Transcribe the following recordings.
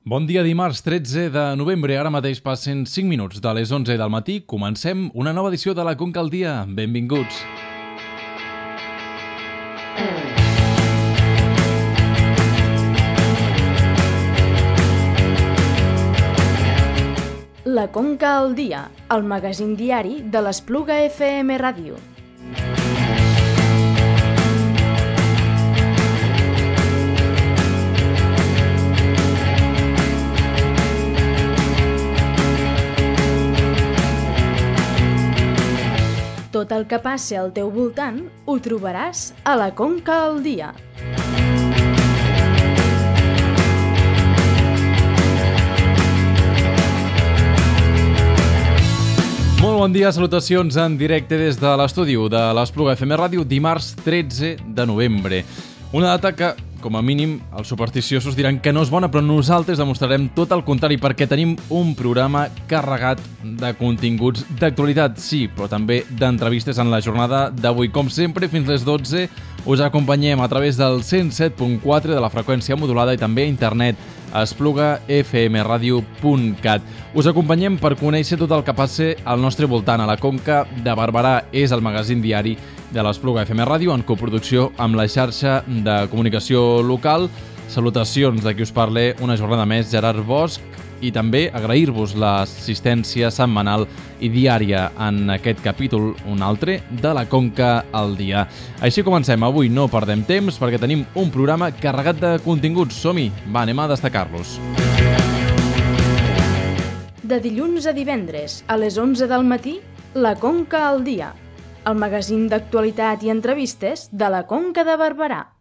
Bon dia, dimarts 13 de novembre. Ara mateix passen 5 minuts de les 11 del matí. Comencem una nova edició de la Conca al Dia. Benvinguts. La Conca al Dia, el magazín diari de l'Espluga FM Ràdio. Tot el que passi al teu voltant ho trobaràs a la Conca al Dia. Molt bon dia, salutacions en directe des de l'estudi de l'Espluga FM Ràdio, dimarts 13 de novembre. Una data que, com a mínim, els supersticiosos diran que no és bona, però nosaltres demostrarem tot el contrari perquè tenim un programa carregat de continguts d'actualitat, sí, però també d'entrevistes en la jornada d'avui. Com sempre, fins les 12 us acompanyem a través del 107.4 de la freqüència modulada i també a internet a esplugafmradio.cat. Us acompanyem per conèixer tot el que passe al nostre voltant. A la Conca de Barberà és el magazín diari de l'Espluga FM Ràdio en coproducció amb la xarxa de comunicació local. Salutacions de qui us parla una jornada més, Gerard Bosch, i també agrair-vos l'assistència setmanal i diària en aquest capítol, un altre, de la Conca al Dia. Així comencem. Avui no perdem temps perquè tenim un programa carregat de continguts. Som-hi! Va, anem a destacar-los. De dilluns a divendres, a les 11 del matí, la Conca al Dia, el magazín d'actualitat i entrevistes de la Conca de Barberà.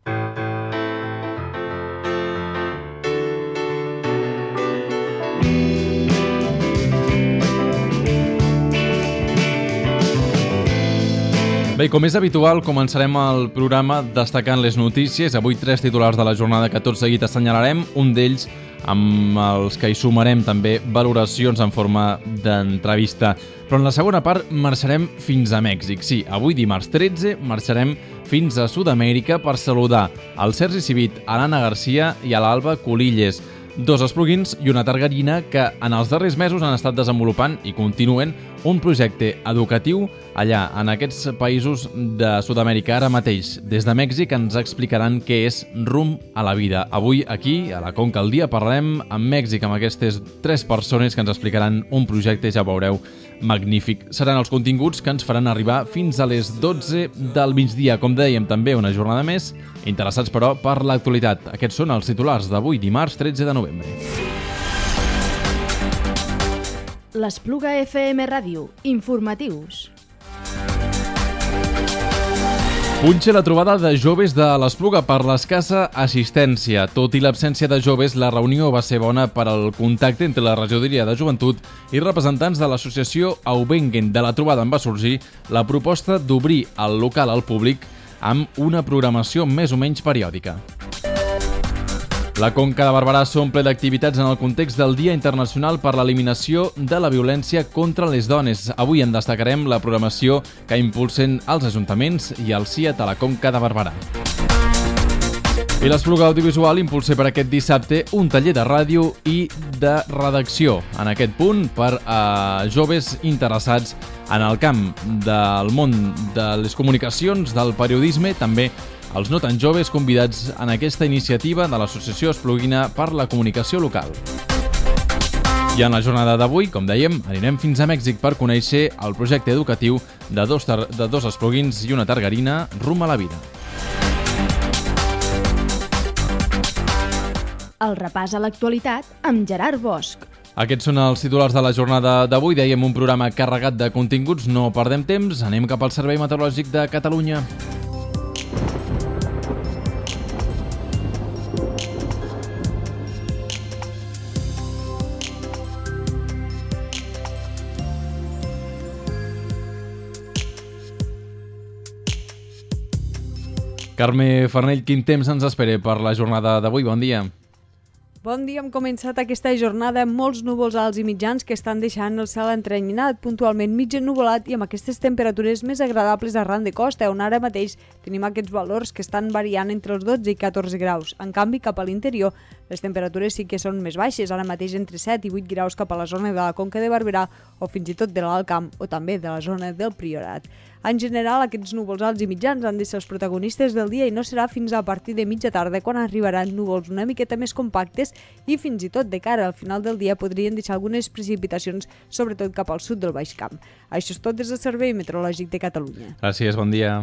Bé, com és habitual, començarem el programa destacant les notícies. Avui 3 titulars de la jornada que tot seguit assenyalarem, un d'ells amb els que hi sumarem també valoracions en forma d'entrevista. Però en la segona part marxarem fins a Mèxic. Sí, avui dimarts 13 marxarem fins a Sud-amèrica per saludar al Sergi Civit, a l'Anna Garcia i a l'Alba Colilles, dos espluguins i una targarina que en els darrers mesos han estat desenvolupant i continuen un projecte educatiu allà, en aquests països de Sud-amèrica. Ara mateix, des de Mèxic, ens explicaran què és Rumb a la Vida. Avui, aquí, a la Conca al Dia, parlarem amb Mèxic, amb aquestes 3 persones que ens explicaran un projecte, ja veureu, magnífic. Seran els continguts que ens faran arribar fins a les 12 del migdia. Com dèiem, també una jornada més, interessats, però, per l'actualitat. Aquests són els titulars d'avui, dimarts 13 de novembre. L'Espluga FM Ràdio. Informatius. Punxa la trobada de joves de l'Espluga per l'escassa assistència. Tot i l'absència de joves, la reunió va ser bona per al contacte entre la regidoria de joventut i representants de l'associació Aubengen. De la trobada en va sorgir la proposta d'obrir el local al públic amb una programació més o menys periòdica. La Conca de Barberà s'omple d'activitats en el context del Dia Internacional per l'Eliminació de la Violència contra les Dones. Avui en destacarem la programació que impulsen els ajuntaments i el CIAT a la Conca de Barberà. I l'Espluga Audiovisual impulsa per aquest dissabte un taller de ràdio i de redacció. En aquest punt, per a joves interessats en el camp del món de les comunicacions, del periodisme, també els no tan joves convidats en aquesta iniciativa de l'Associació Espluguina per la Comunicació Local. I en la jornada d'avui, com dèiem, anirem fins a Mèxic per conèixer el projecte educatiu de dos espluguins i una targarina, Rumb a la Vida. El repàs a l'actualitat amb Gerard Bosch. Aquests són els titulars de la jornada d'avui. Dèiem un programa carregat de continguts, no perdem temps, anem cap al Servei Meteorològic de Catalunya. Carme Farnell, quin temps ens espera per la jornada d'avui? Bon dia. Bon dia, hem començat aquesta jornada amb molts núvols alts i mitjans que estan deixant el cel entrenyinat, puntualment mig ennuvolat i amb aquestes temperatures més agradables arran de costa, on ara mateix tenim aquests valors que estan variant entre els 12 i 14 graus. En canvi, cap a l'interior Les temperatures sí que són més baixes, ara mateix entre 7 i 8 graus cap a la zona de la Conca de Barberà o fins i tot de l'Alt Camp o també de la zona del Priorat. En general, aquests núvols alts i mitjans han de ser els protagonistes del dia i no serà fins a partir de mitja tarda quan arribaran núvols una miqueta més compactes i fins i tot de cara al final del dia podrien deixar algunes precipitacions, sobretot cap al sud del Baix Camp. Això és tot des del Servei Meteorològic de Catalunya. Gràcies, bon dia.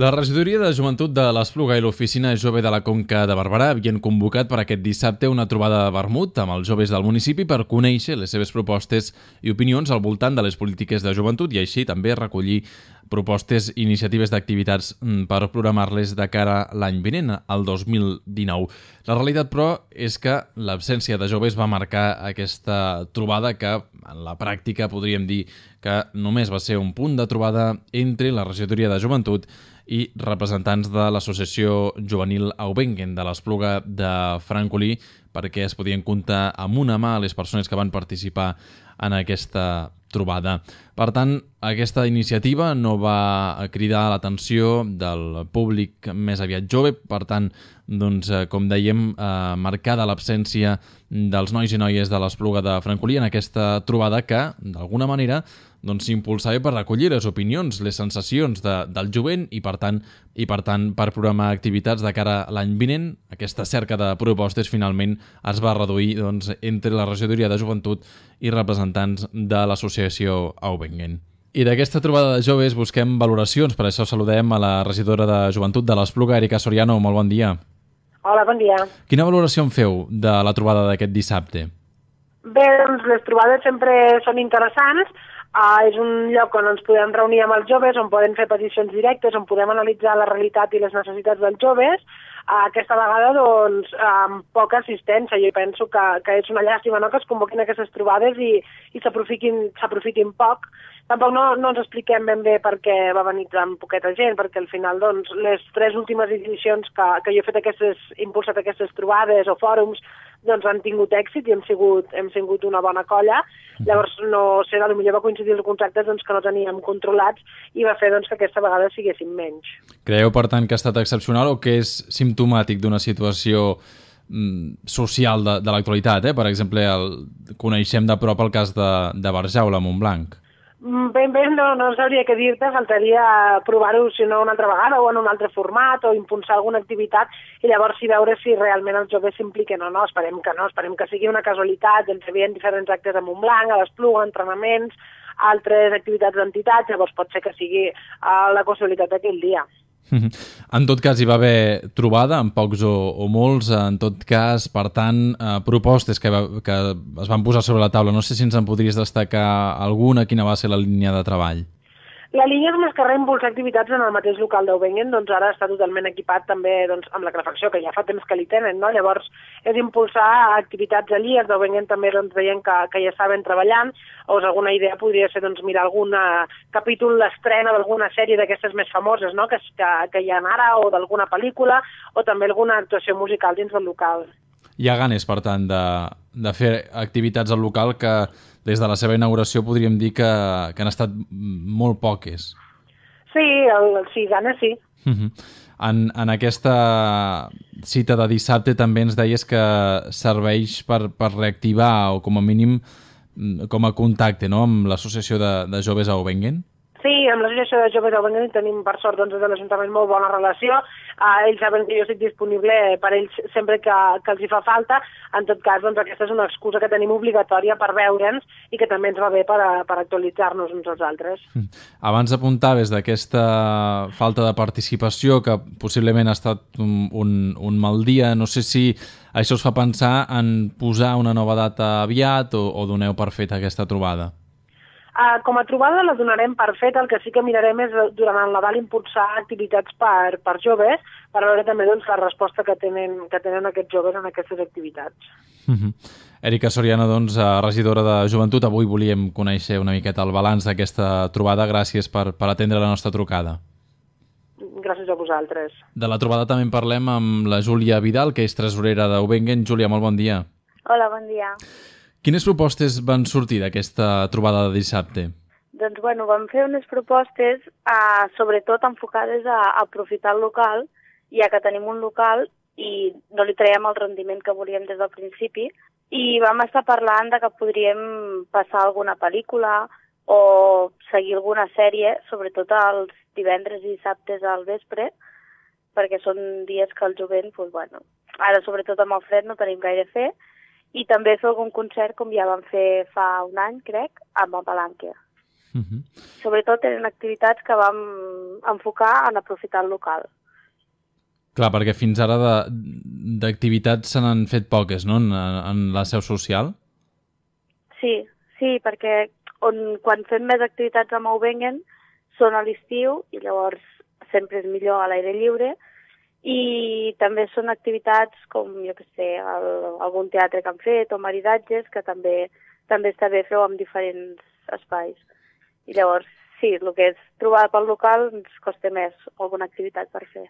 La regidoria de joventut de l'Espluga i l'Oficina Jove de la Conca de Barberà havien convocat per aquest dissabte una trobada de vermut amb els joves del municipi per conèixer les seves propostes i opinions al voltant de les polítiques de joventut i així també recollir propostes i iniciatives d'activitats per programar-les de cara a l'any vinent, al 2019. La realitat, però, és que l'absència de joves va marcar aquesta trobada que, en la pràctica, podríem dir que només va ser un punt de trobada entre la regidoria de joventut i representants de l'associació juvenil Aubengen de l'Espluga de Francolí perquè es podien comptar amb una mà les persones que van participar en aquesta trobada. Per tant, aquesta iniciativa no va cridar l'atenció del públic més aviat jove, per tant, doncs, com dèiem, marcada l'absència dels nois i noies de l'Espluga de Francolí en aquesta trobada que, d'alguna manera, doncs s'impulsava per recollir les opinions, les sensacions del jovent i per tant per programar activitats de cara a l'any vinent. Aquesta cerca de propostes finalment es va reduir doncs, entre la regidoria de joventut i representants de l'associació Aubengen. I d'aquesta trobada de joves busquem valoracions, per això saludem a la regidora de joventut de l'Espluga, Erika Soriano. Molt bon dia. Hola, bon dia. Quina valoració en feu de la trobada d'aquest dissabte? Bé, doncs les trobades sempre són interessants. És un lloc on ens podem reunir amb els joves, on podem fer peticions directes, on podem analitzar la realitat i les necessitats dels joves. Aquesta vegada, doncs, amb poca assistència. Jo penso que és una llàstima, no?, que es convoquin aquestes trobades i s'aprofitin poc. Tampoc no ens expliquem ben bé per què va venir tan poqueta gent, perquè al final, doncs, les 3 últimes edicions que jo he fet impulsat aquestes trobades o fòrums, doncs han tingut èxit i hem sigut una bona colla. Llavors, no sé, potser va coincidir els contractes doncs, que no teníem controlats i va fer doncs, que aquesta vegada siguéssim menys. Creieu, per tant, que ha estat excepcional o que és simptomàtic d'una situació social de l'actualitat? Per exemple, coneixem de prop el cas de Barjaula, a Montblanc. Ben bé no sabria què dir-te, faltaria provar-ho si no una altra vegada o en un altre format o impulsar alguna activitat i llavors veure si realment els joves s'impliquen o no. Esperem que sigui una casualitat. Ens havien diferents actes a Montblanc, a l'Espluga, entrenaments, altres activitats d'entitats, llavors pot ser que sigui la casualitat d'aquell dia. En tot cas, hi va haver trobada, en pocs o molts, en tot cas, per tant, propostes que es van posar sobre la taula. No sé si ens en podries destacar alguna, quina va ser la línia de treball. La línia és més que res impulsar activitats en el mateix local d'Aubengen, doncs ara està totalment equipat també doncs, amb la calefacció, que ja fa temps que li tenen, no? Llavors és impulsar activitats allí, els d'Aubengen també doncs, veiem que ja estaven treballant, o alguna idea podria ser doncs, mirar algun capítol, l'estrena d'alguna sèrie d'aquestes més famoses, no? que hi ha ara, o d'alguna pel·lícula, o també alguna actuació musical dins del local. Hi ha ganes, per tant, de fer activitats al local que des de la seva inauguració podríem dir que han estat molt poques. Sí, ganes sí. En aquesta cita de dissabte també ens deies que serveix per reactivar o com a mínim com a contacte, no?, amb l'associació de joves a Aubengen. Sí, amb l'associació de joves d'Aubengen tenim per sort doncs, des de l'Ajuntament molt bona relació. Ells saben que jo estic disponible per ells sempre que els hi fa falta. En tot cas, doncs, aquesta és una excusa que tenim obligatòria per veure'ns i que també ens va bé per actualitzar-nos uns als altres. Abans apuntaves d'aquesta falta de participació que possiblement ha estat un mal dia. No sé si això us fa pensar en posar una nova data aviat o doneu per feta aquesta trobada. Com a trobada la donarem per feta. El que sí que mirarem és durant el Nadal impulsar activitats per joves, per veure també doncs, la resposta que tenen aquests joves en aquestes activitats. Erika Soriano, doncs, regidora de Joventut, avui volíem conèixer una miqueta el balanç d'aquesta trobada. Gràcies per atendre la nostra trucada. Gràcies a a vosaltres. De la trobada també en parlem amb la Júlia Vidal, que és tresorera d'Eubengen. Júlia, molt bon dia. Hola, bon dia. Quines propostes van sortir d'aquesta trobada de dissabte? Doncs, bueno, vam fer unes propostes sobretot enfocades a aprofitar el local, ja que tenim un local i no li traiem el rendiment que volíem des del principi, i vam estar parlant de que podríem passar alguna pel·lícula o seguir alguna sèrie, sobretot els divendres i dissabtes al vespre, perquè són dies que el jovent, doncs, bueno, ara sobretot amb el fred no tenim gaire a fer, i també fer algun concert com ja vam fer fa un any, crec, amb el Palanque. Sobretot eren activitats que vam enfocar en aprofitar el local. Clar, perquè fins ara d'activitats se n'han fet poques, no?, en la seu social? Sí, perquè quan fem més activitats amb Eubengen són a l'estiu i llavors sempre és millor a l'aire lliure, i també són activitats com, jo què sé, algun teatre que han fet o maridatges, que també està bé fer-ho en diferents espais. I llavors, sí, el que és trobar pel local ens costa més alguna activitat per fer.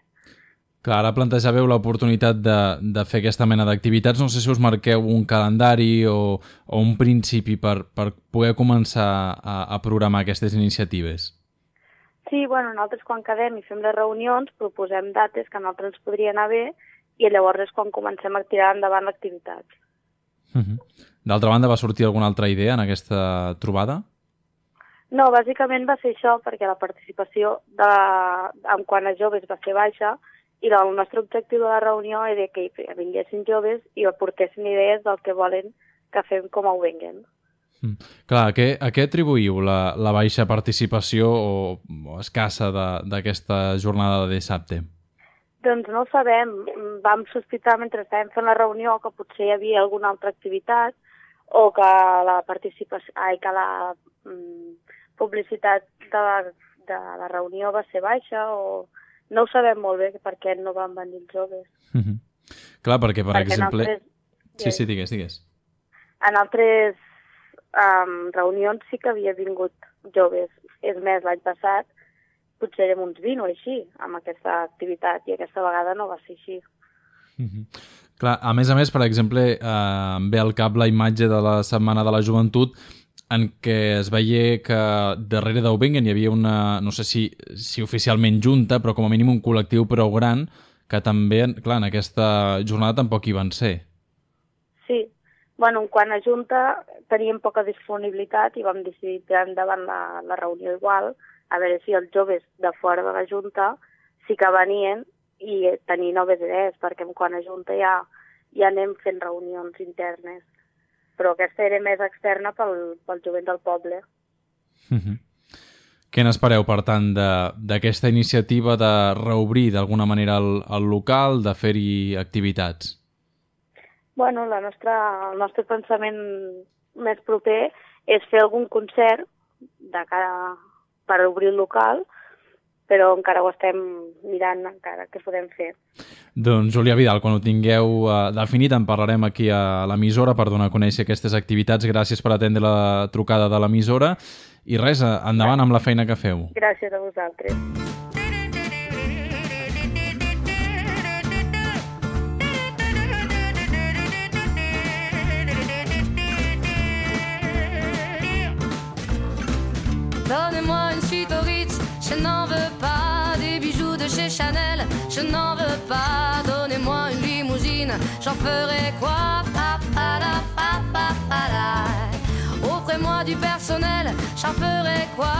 Clar, ara plantejàveu l'oportunitat de fer aquesta mena d'activitats. No sé si us marqueu un calendari o un principi per poder començar a programar aquestes iniciatives. Sí, bueno, nosaltres quan quedem i fem les reunions proposem dates que a nosaltres ens podria anar bé i llavors és quan comencem a tirar endavant l'activitat. D'altra banda, va sortir alguna altra idea en aquesta trobada? No, bàsicament va ser això, perquè la participació en quant a joves va ser baixa i el nostre objectiu de la reunió era que vinguessin joves i aportessin idees del que volen que fem com a Eubengen. Clar, a què atribuïu la baixa participació o escassa d'aquesta jornada de dissabte? Doncs no ho sabem. Vam sospitar mentre estàvem fent la reunió que potser hi havia alguna altra activitat o que la publicitat de la reunió va ser baixa o no ho sabem molt bé per què no van venir els joves. Clar, perquè per exemple... Sí, digues. En altres reunions sí que havia vingut joves. És més, l'any passat potser érem uns 20 o així amb aquesta activitat i aquesta vegada no va ser així. Clar, a més, per exemple, em ve al cap la imatge de la Setmana de la Joventut en què es veia que darrere d'Eubengen hi havia una, no sé si oficialment junta, però com a mínim un col·lectiu prou gran que també, clar, en aquesta jornada tampoc hi van ser. Sí. Bueno, quan a Junta teníem poca disponibilitat i vam decidir tirar endavant la reunió igual, a veure si els joves de fora de la Junta sí que venien i tenir noves idees, perquè quan a Junta ja anem fent reunions internes. Però aquesta era més externa pel jovent del poble. Què n'espereu, per tant, d'aquesta iniciativa de reobrir d'alguna manera el local, de fer-hi activitats? Bueno, el nostre pensament més proper és fer algun concert per obrir el local, però encara ho estem mirant, encara què podem fer. Doncs, Júlia Vidal, quan ho tingueu definit en parlarem aquí a l'emissora per donar a conèixer aquestes activitats. Gràcies per atendre la trucada de l'emissora i res, endavant amb la feina que feu. Gràcies a vosaltres. Donnez-moi une suite au Ritz, je n'en veux pas. Des bijoux de chez Chanel, je n'en veux pas. Donnez-moi une limousine, j'en ferai quoi? Offrez-moi du personnel, j'en ferai quoi?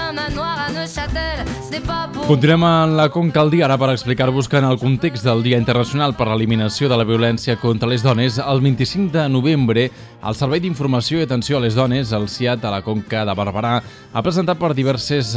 Un manoir à Neuchâtel, ce n'est pas pour... Continuem en la Conca al dia, ara per explicar-vos que en el context del Dia Internacional per l'Eliminació de la Violència contra les Dones, el 25 de novembre, el Servei d'Informació i Atenció a les Dones, el CIAT a la Conca de Barberà, ha preparat diverses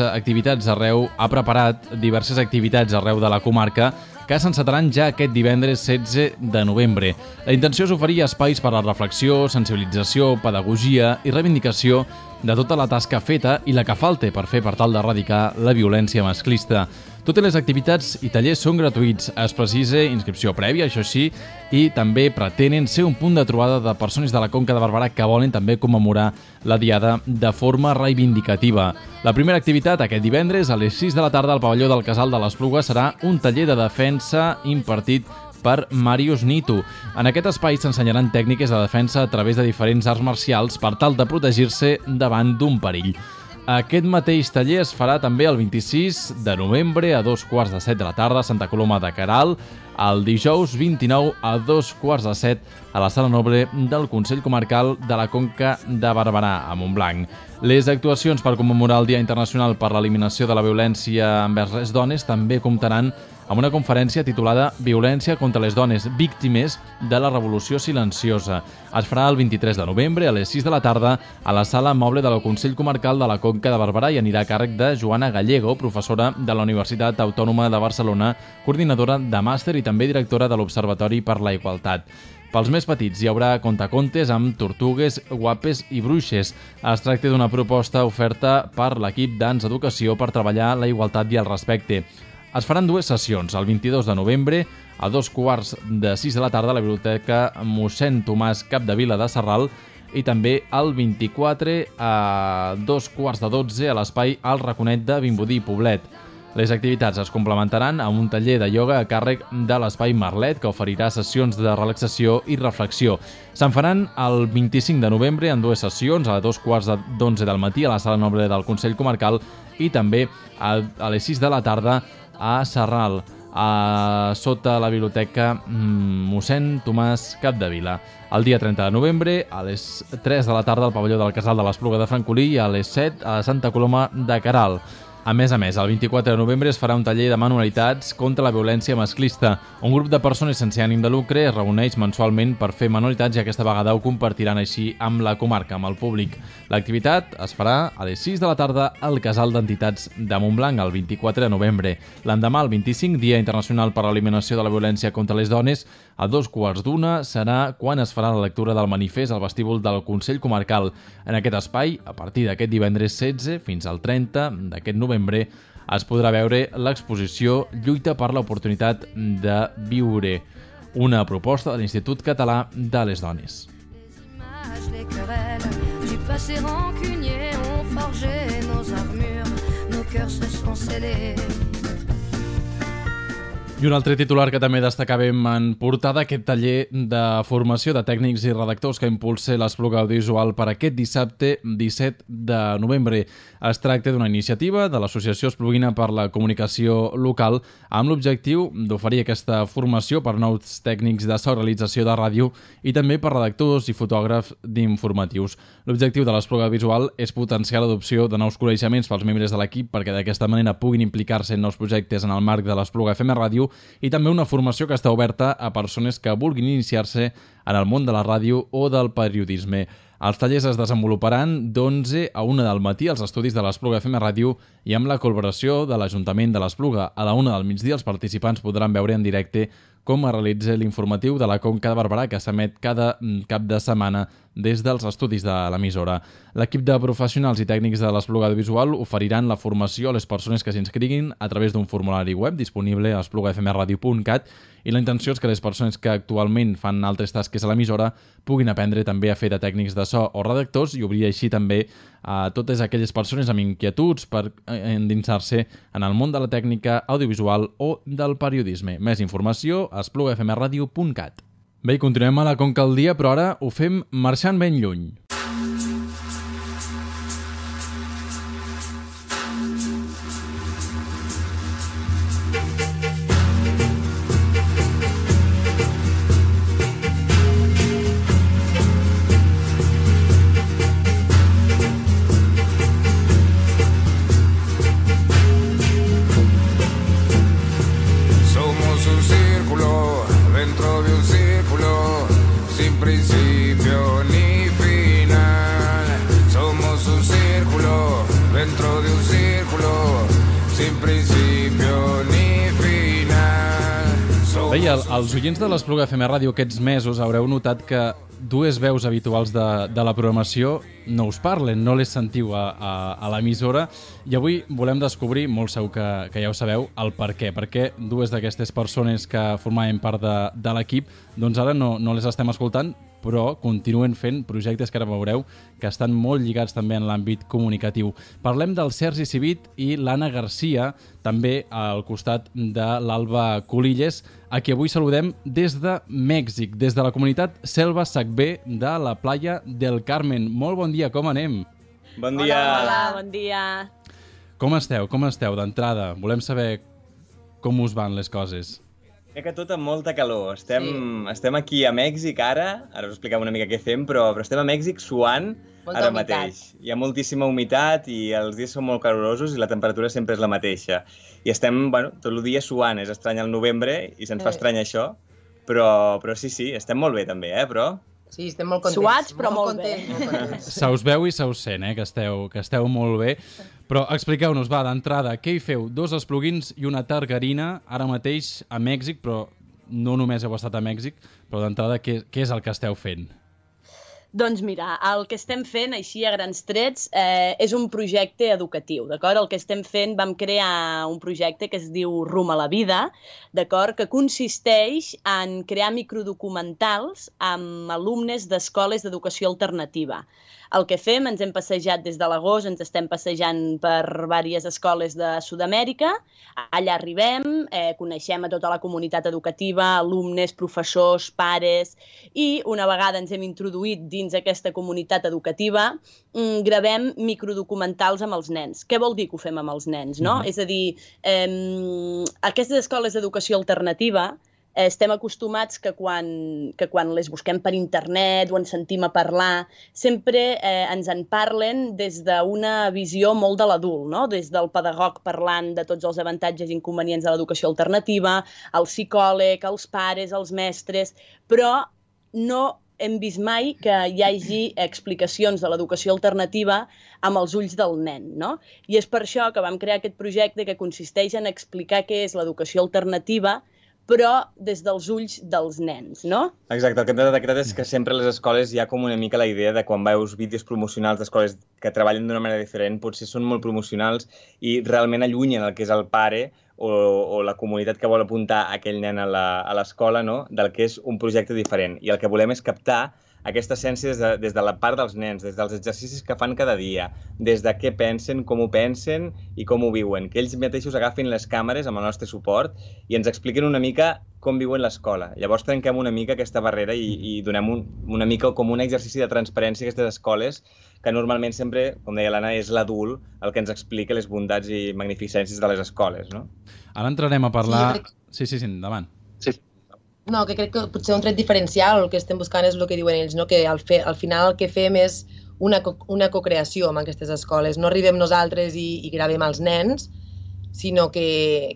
activitats arreu de la comarca que s'encetaran ja aquest divendres 16 de novembre. La intenció és oferir espais per a la reflexió, sensibilització, pedagogia i reivindicació de tota la tasca feta i la que falta per fer per tal d'erradicar la violència masclista. Totes les activitats i tallers són gratuïts. Es precisa inscripció prèvia, això sí, i també pretenen ser un punt de trobada de persones de la Conca de Barberà que volen també commemorar la Diada de forma reivindicativa. La primera activitat aquest divendres a les 6 de la tarda al pavelló del Casal de l'Espluga serà un taller de defensa impartit per Màrius Nito. En aquest espai s'ensenyaran tècniques de defensa a través de diferents arts marcials per tal de protegir-se davant d'un perill. Aquest mateix taller es farà també el 26 de novembre a 2:15 de la tarda a Santa Coloma de Queralt, el dijous 29 a 2:15 a la Sala Noble del Consell Comarcal de la Conca de Barberà, a Montblanc. Les actuacions per commemorar el Dia Internacional per l'Eliminació de la Violència envers les Dones també comptaran amb una conferència titulada Violència contra les dones víctimes de la Revolució Silenciosa. Es farà el 23 de novembre a les 6 de la tarda a la Sala Moble del Consell Comarcal de la Conca de Barberà i anirà a càrrec de Joana Gallego, professora de la Universitat Autònoma de Barcelona, coordinadora de màster i també directora de l'Observatori per la Igualtat. Pels més petits hi haurà contacontes amb tortugues, guapes i bruixes. Es tracta d'una proposta oferta per l'equip d'Ans Educació per treballar la igualtat i el respecte. Es faran dues sessions, el 22 de novembre a 2:15 de la tarda a la Biblioteca mossèn Tomàs Capdevila de Sarral i també el 24 a 2:15 a l'espai El Raconet de Vimbodí, Poblet. Les activitats es complementaran amb un taller de ioga a càrrec de l'Espai Marlet, que oferirà sessions de relaxació i reflexió. Se'n faran el 25 de novembre en dues sessions, a 2:15 del matí a la Sala Noble del Consell Comarcal i també a les 6 de la tarda a Sarral, sota la Biblioteca mossèn Tomàs Capdevila. El dia 30 de novembre, a les 3 de la tarda al pavelló del Casal de l'Espluga de Francolí i a les 7 a Santa Coloma de Queralt. A més, el 24 de novembre es farà un taller de manualitats contra la violència masclista. Un grup de persones sense ànim de lucre es reuneix mensualment per fer manualitats i aquesta vegada ho compartiran així amb la comarca, amb el públic. L'activitat es farà a les 6 de la tarda al Casal d'Entitats de Montblanc el 24 de novembre. L'endemà, el 25, Dia Internacional per l'Eliminació de la Violència contra les Dones, a 2:15 serà quan es farà la lectura del manifest al vestíbul del Consell Comarcal. En aquest espai, a partir d'aquest divendres 16 fins al 30 d'aquest novembre, es podrà veure l'exposició Lluita per l'oportunitat de viure, una proposta de l'Institut Català de les Dones. I un altre titular que també destacàvem en portada, aquest taller de formació de tècnics i redactors que impulsa l'Espluga Audiovisual per aquest dissabte 17 de novembre. Es tracta d'una iniciativa de l'Associació Espluguina per la Comunicació Local amb l'objectiu d'oferir aquesta formació per nous tècnics de so, realització de ràdio i també per redactors i fotògrafs d'informatius. L'objectiu de l'Espluga Visual és potenciar l'adopció de nous coneixements pels membres de l'equip perquè d'aquesta manera puguin implicar-se en nous projectes en el marc de l'Espluga FM Ràdio i també una formació que està oberta a persones que vulguin iniciar-se en el món de la ràdio o del periodisme. Els tallers es desenvoluparan d'11 a 1 del matí als estudis de l'Espluga FM Ràdio i amb la col·laboració de l'Ajuntament de l'Espluga. A la 1 del migdia els participants podran veure en directe com es realitza l'informatiu de la Conca de Barberà que s'emet cada cap de setmana des dels estudis de l'emissora. L'equip de professionals i tècnics de l'Espluga Audiovisual oferiran la formació a les persones que s'inscriguin a través d'un formulari web disponible a esplugafmradio.cat i la intenció és que les persones que actualment fan altres tasques a l'emissora puguin aprendre també a fer de tècnics de so o redactors i obrir així també a totes aquelles persones amb inquietuds per endinsar-se en el món de la tècnica audiovisual o del periodisme. Més informació a esplugafmradio.cat. Bé, continuem a la Conca al dia, però ara ho fem marxant ben lluny. Sin principio ni final, Bé, els oients de l'Espluga FM Ràdio aquests mesos haureu notat que dues veus habituals de la programació no us parlen, no les sentiu a l'emissora, i avui volem descobrir, molt segur que ja ho sabeu, el per què. Per què dues d'aquestes persones que formaven part de l'equip doncs ara no les estem escoltant, però continuen fent projectes que ara veureu que estan molt lligats també en l'àmbit comunicatiu. Parlem del Sergi Civit i l'Anna Garcia, també al costat de l'Alba Colilles, a qui avui saludem des de Mèxic, des de la comunitat Selva Sacbé de la Playa del Carmen. Molt bon dia, com anem? Bon dia. Hola, bon dia. Com esteu d'entrada? Volem saber com us van les coses. Crec que tot amb molta calor. Estem aquí a Mèxic ara us expliquem una mica què fem, però estem a Mèxic suant ara mateix. Hi ha moltíssima humitat i els dies són molt calorosos i la temperatura sempre és la mateixa. I estem, tot el dia suant, és estrany el novembre i se'ns fa estrany això, però sí, estem molt bé també, però... Sí, estem molt contents. Suats, però molt bé. Se us veu i se us sent, que esteu molt bé. Però expliqueu-nos, d'entrada, què hi feu? 2 esplugins i una targarina, ara mateix a Mèxic, però no només heu estat a Mèxic, però d'entrada, què és el que esteu fent? Doncs mira, el que estem fent, així a grans trets, és un projecte educatiu, d'acord? El que estem fent, vam crear un projecte que es diu Rumb a la vida, d'acord? Que consisteix en crear microdocumentals amb alumnes d'escoles d'educació alternativa. El que fem, ens hem passejat des de l'agost, ens estem passejant per diverses escoles de Sud-amèrica, allà arribem, coneixem a tota la comunitat educativa, alumnes, professors, pares, i una vegada ens hem introduït dins aquesta comunitat educativa, gravem microdocumentals amb els nens. Què vol dir que ho fem amb els nens, no? És a dir, aquestes escoles d'educació alternativa estem acostumats que quan les busquem per internet o ens sentim a parlar, sempre ens en parlen des d'una visió molt de l'adult, no? Des del pedagog parlant de tots els avantatges i inconvenients de l'educació alternativa, el psicòleg, els pares, els mestres, però no hem vist mai que hi hagi explicacions de l'educació alternativa amb els ulls del nen, no? I és per això que vam crear aquest projecte que consisteix en explicar què és l'educació alternativa, però des dels ulls dels nens, no? Exacte, el que hem detectat és que sempre a les escoles hi ha com una mica la idea de quan veus vídeos promocionals d'escoles que treballen d'una manera diferent, potser són molt promocionals i realment allunyen el que és el pare o la comunitat que vol apuntar aquell nen a l'escola, no? Del que és un projecte diferent. I el que volem és captar aquesta essència des de la part dels nens, des dels exercicis que fan cada dia, des de què pensen, com ho pensen i com ho viuen, que ells mateixos agafin les càmeres amb el nostre suport i ens expliquin una mica com viuen l'escola. Llavors trenquem una mica aquesta barrera i donem una mica com un exercici de transparència a aquestes escoles que normalment sempre, com deia l'Anna, és l'adult el que ens explica les bondats i magnificències de les escoles, no? Ara entrarem a parlar... Sí, endavant. No, que crec que potser un tret diferencial, el que estem buscant és el que diuen ells, no? Que al final el que fem és una cocreació amb aquestes escoles. No arribem nosaltres i gravem els nens, sinó que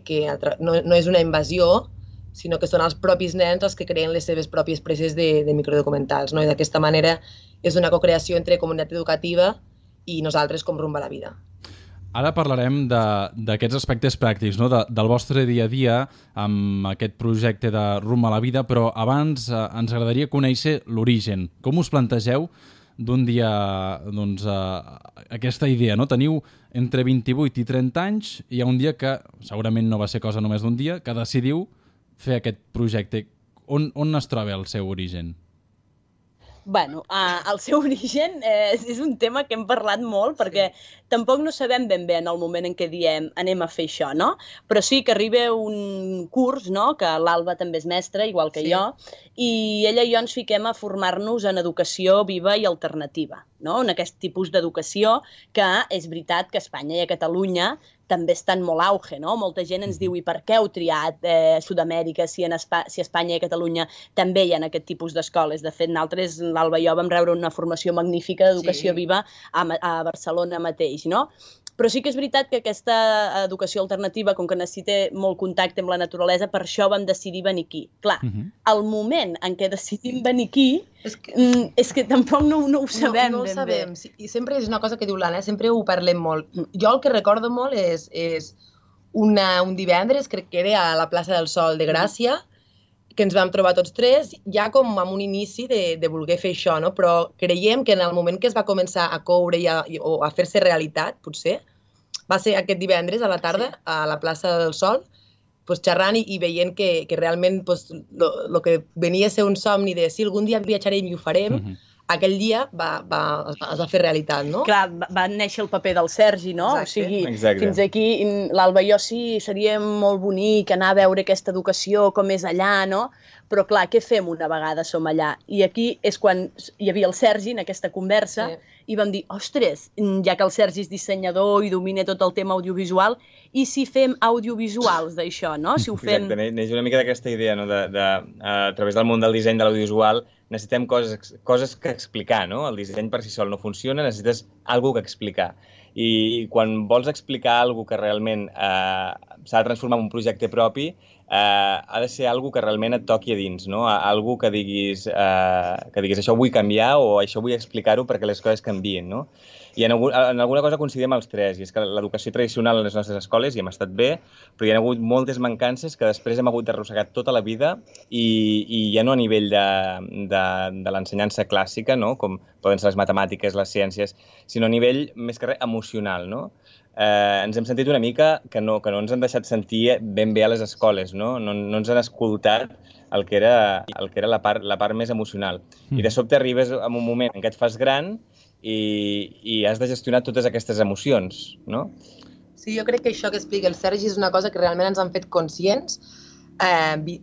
no és una invasió, sinó que són els propis nens els que creen les seves pròpies preses de microdocumentals, no? I d'aquesta manera és una cocreació entre comunitat educativa i nosaltres com Rumb a la vida. Ara parlarem d'aquests aspectes pràctics, no? Del vostre dia a dia amb aquest projecte de Rumb a la vida, però abans ens agradaria conèixer l'origen. Com us plantegeu d'un dia aquesta idea, no? Teniu entre 28 i 30 anys i hi ha un dia que, segurament no va ser cosa només d'un dia, que decidiu fer aquest projecte. On es troba el seu origen? Bueno, el seu origen és un tema que hem parlat molt perquè tampoc no sabem ben bé en el moment en què diem anem a fer això, no? Però sí que arriba un curs, no?, que l'Alba també és mestra, igual que jo, i ella i jo ens fiquem a formar-nos en educació viva i alternativa, no? En aquest tipus d'educació que és veritat que a Espanya i a Catalunya també està en molt auge, no? Molta gent ens diu, i per què heu triat Sud-amèrica si a Espanya i a Catalunya també hi ha aquest tipus d'escoles? De fet, nosaltres, l'Alba i jo, vam rebre una formació magnífica d'educació viva a Barcelona mateix, no? Però sí que és veritat que aquesta educació alternativa, com que necessita molt contacte amb la naturalesa, per això vam decidir venir aquí. Clar, el moment en què decidim venir aquí és que tampoc no ho sabem ben bé. No ho sabem, i sempre és una cosa que diu l'Anna, sempre ho parlem molt. Jo el que recordo molt és un divendres, crec que era a la plaça del Sol de Gràcia, ens vam trobar tots tres, ja com amb un inici de voler fer això, no? Però creiem que en el moment que es va començar a coure o a fer-se realitat, potser, va ser aquest divendres a la tarda a la plaça del Sol, xerrant i veient que realment el que venia a ser un somni de si algun dia viatjarem i ho farem, aquell dia es va fer realitat, no? Clar, va néixer el paper del Sergi, no? O sigui, fins aquí, l'Alba i jo sí, seria molt bonic anar a veure aquesta educació, com és allà, no? Però clar, què fem una vegada som allà? I aquí és quan hi havia el Sergi en aquesta conversa i vam dir, ostres, ja que el Sergi és dissenyador i domina tot el tema audiovisual, i si fem audiovisuals d'això, no? Si ho fem... Exacte, neix una mica d'aquesta idea, no? A través del món del disseny de l'audiovisual necessitem coses que explicar, no? El disseny per si sol no funciona, necessites alguna que explicar. I quan vols explicar alguna que realment s'ha de transformar en un projecte propi, ha de ser alguna que realment et toqui a dins, no? Alguna que diguis això ho vull canviar o això vull explicar-ho perquè les coses canvien, no? I en alguna cosa coincidim els tres, i és que l'educació tradicional a les nostres escoles hi hem estat bé, però hi ha hagut moltes mancances que després hem hagut d'arrossegar tota la vida i ja no a nivell de l'ensenyança clàssica, no? Com poden ser les matemàtiques, les ciències, sinó a nivell més que res emocional, no? Ens hem sentit una mica que no ens han deixat sentir ben bé a les escoles, no? No ens han escoltat el que era la part més emocional. I de sobte arribes a un moment en què et fas gran i has de gestionar totes aquestes emocions, no? Sí, jo crec que això que explica el Sergi és una cosa que realment ens han fet conscients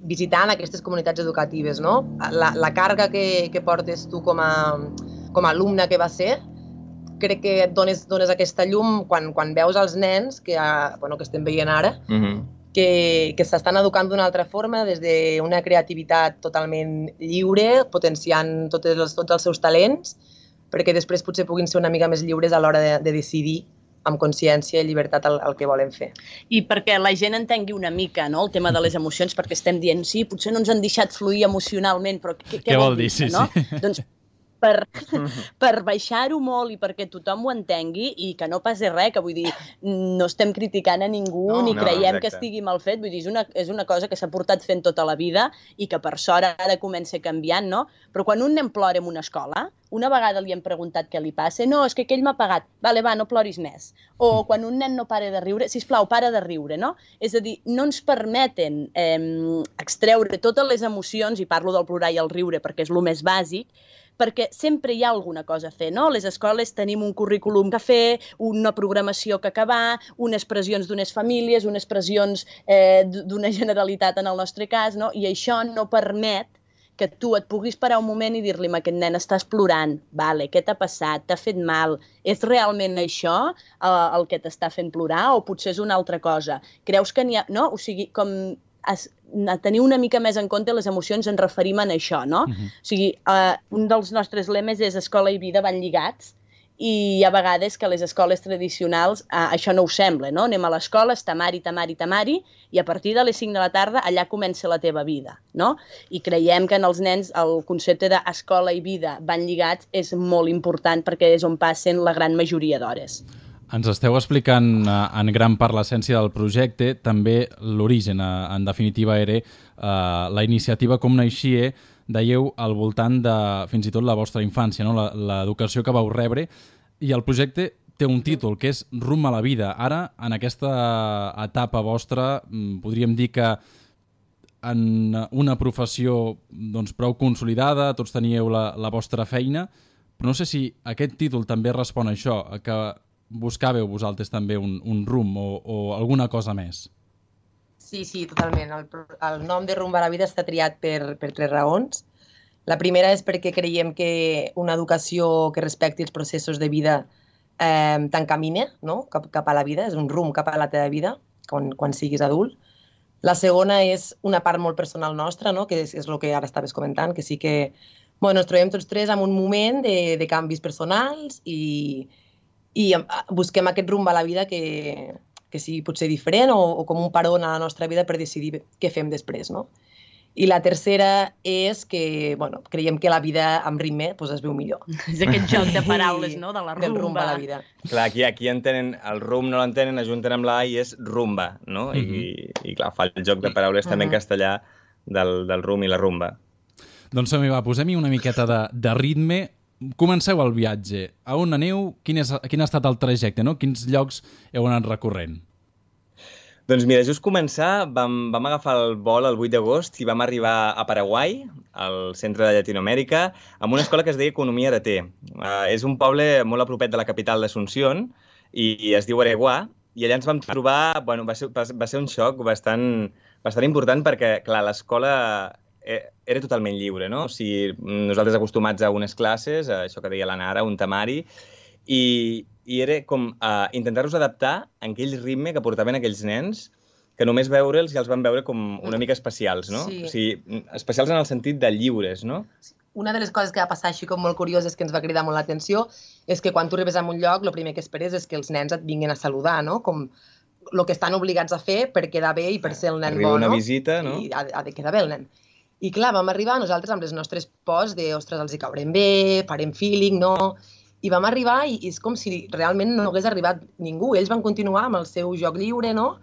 visitant aquestes comunitats educatives, no? La càrrega que portes tu com a alumne que va ser, crec que et dones aquesta llum quan veus els nens que estem veient ara, que s'estan educant d'una altra forma, des d'una creativitat totalment lliure, potenciant tots els seus talents, perquè després potser puguin ser una mica més lliures a l'hora de decidir amb consciència i llibertat el que volen fer. I perquè la gent entengui una mica, no?, el tema de les emocions, perquè estem dient, sí, potser no ens han deixat fluir emocionalment, però què vol dir, no? Doncs per baixar-ho molt i perquè tothom ho entengui i que no passi res, que vull dir, no estem criticant a ningú ni creiem que estigui mal fet, vull dir, és una cosa que s'ha portat fent tota la vida i que per sort ara comença canviant, no? Però quan un nen plora en una escola, una vegada li hem preguntat què li passa, no, és que aquell m'ha pagat, vale, va, no ploris més. O quan un nen no para de riure, sisplau, para de riure, no? És a dir, no ens permeten extreure totes les emocions, i parlo del plorar i el riure perquè és el més bàsic, perquè sempre hi ha alguna cosa a fer, no? A les escoles tenim un currículum que fer, una programació que acabar, unes pressions d'unes famílies, unes pressions d'una generalitat en el nostre cas, no? I això no permet que tu et puguis parar un moment i dir-li a aquest nen, estàs plorant, vale, què t'ha passat, t'ha fet mal, és realment això el que t'està fent plorar o potser és una altra cosa? Creus que n'hi ha... No? O sigui, com a tenir una mica més en compte les emocions ens referim a això, no? O sigui, un dels nostres lemes és escola i vida van lligats i hi ha vegades que a les escoles tradicionals això no ho sembla, no? Anem a l'escola, és tamari, tamari, tamari, i a partir de les 5 de la tarda allà comença la teva vida, no? I creiem que en els nens el concepte d'escola i vida van lligats és molt important perquè és on passen la gran majoria d'hores. Ens esteu explicant en gran part l'essència del projecte, també l'origen, en definitiva, era la iniciativa com naixia, dèieu, al voltant de fins i tot la vostra infància, no? L'educació que vau rebre, i el projecte té un títol, que és Rumb a la vida. Ara, en aquesta etapa vostra, podríem dir que en una professió prou consolidada, tots teníeu la vostra feina, però no sé si aquest títol també respon a això, a que buscàveu vosaltres també un rumb o alguna cosa més? Sí, totalment. El nom de Rumb a la vida està triat per 3 raons. La primera és perquè creiem que una educació que respecti els processos de vida t'encamina, no? Cap a la vida, és un rumb cap a la teva vida quan siguis adult. La segona és una part molt personal nostra, no? Que és el que ara estaves comentant, que sí que ens trobem tots tres en un moment de canvis personals i busquem aquest rumb a la vida que sigui potser diferent o com un paron a la nostra vida per decidir què fem després, no? I la tercera és que, creiem que la vida amb ritme es veu millor. És aquest joc de paraules, no?, de la rumba. Del rumb a la vida. Clar, aquí entenen, el rumb no l'entenen, ajunten amb la A i és rumba, no? I clar, fa el joc de paraules també en castellà del rum i la rumba. Doncs va, posem-hi una miqueta de ritme. Comenceu el viatge. A on aneu? Quin ha estat el trajecte, no? Quins llocs heu anat recorrent? Doncs mira, just començar, vam agafar el vol el 8 d'agost i vam arribar a Paraguai, al centre de Llatinoamèrica, amb una escola que es deia Economia Araté. És un poble molt a propet de la capital d'Asunción i es diu Areguá, i allà ens vam trobar, bueno, va ser un xoc bastant important perquè, clar, l'escola era totalment lliure, no? O sigui, nosaltres acostumats a unes classes, a això que deia la Nara, un temari, i era com intentar-nos adaptar a aquell ritme que portaven aquells nens, que només veure'ls ja els van veure com una mica especials, no? Sí. O sigui, especials en el sentit de lliures, no? Una de les coses que va passar així com molt curioses que ens va cridar molt l'atenció és que quan tu arribes a un lloc, el primer que esperes és que els nens et vinguin a saludar, no? Com el que estan obligats a fer per quedar bé i per ser el nen bo, no? Arriba una visita, no? I ha de quedar bé el nen. I clar, vam arribar nosaltres amb les nostres pors de, ostres, els hi caurem bé, farem feeling, no? I vam arribar i és com si realment no hagués arribat ningú. Ells van continuar amb el seu joc lliure, no?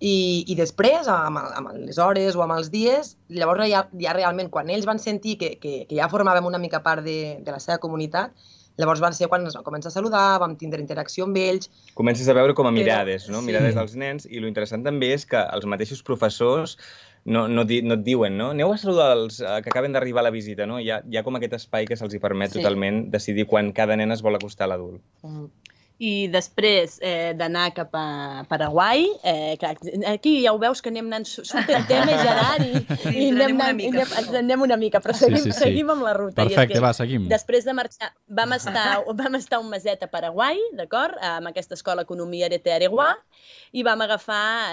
I després, amb les hores o amb els dies, llavors ja realment, quan ells van sentir que ja formàvem una mica part de la seva comunitat, llavors van ser quan ens van començar a saludar, vam tindre interacció amb ells. Comences a veure com a mirades, no? Mirades dels nens, i lo interessant també és que els mateixos professors no et diuen, no? Aneu a saludar els que acaben d'arribar a la visita, no? Hi ha com aquest espai que se'ls permet totalment decidir quan cada nen es vol acostar a l'adult. I després d'anar cap a Paraguai, aquí ja ho veus que anem anant supertema, Gerard, i ens anem una mica, però seguim amb la ruta. Perfecte, va, seguim. Després de marxar, vam estar un meset a Paraguai, d'acord, amb aquesta escola Economia Araté Areguá, i vam agafar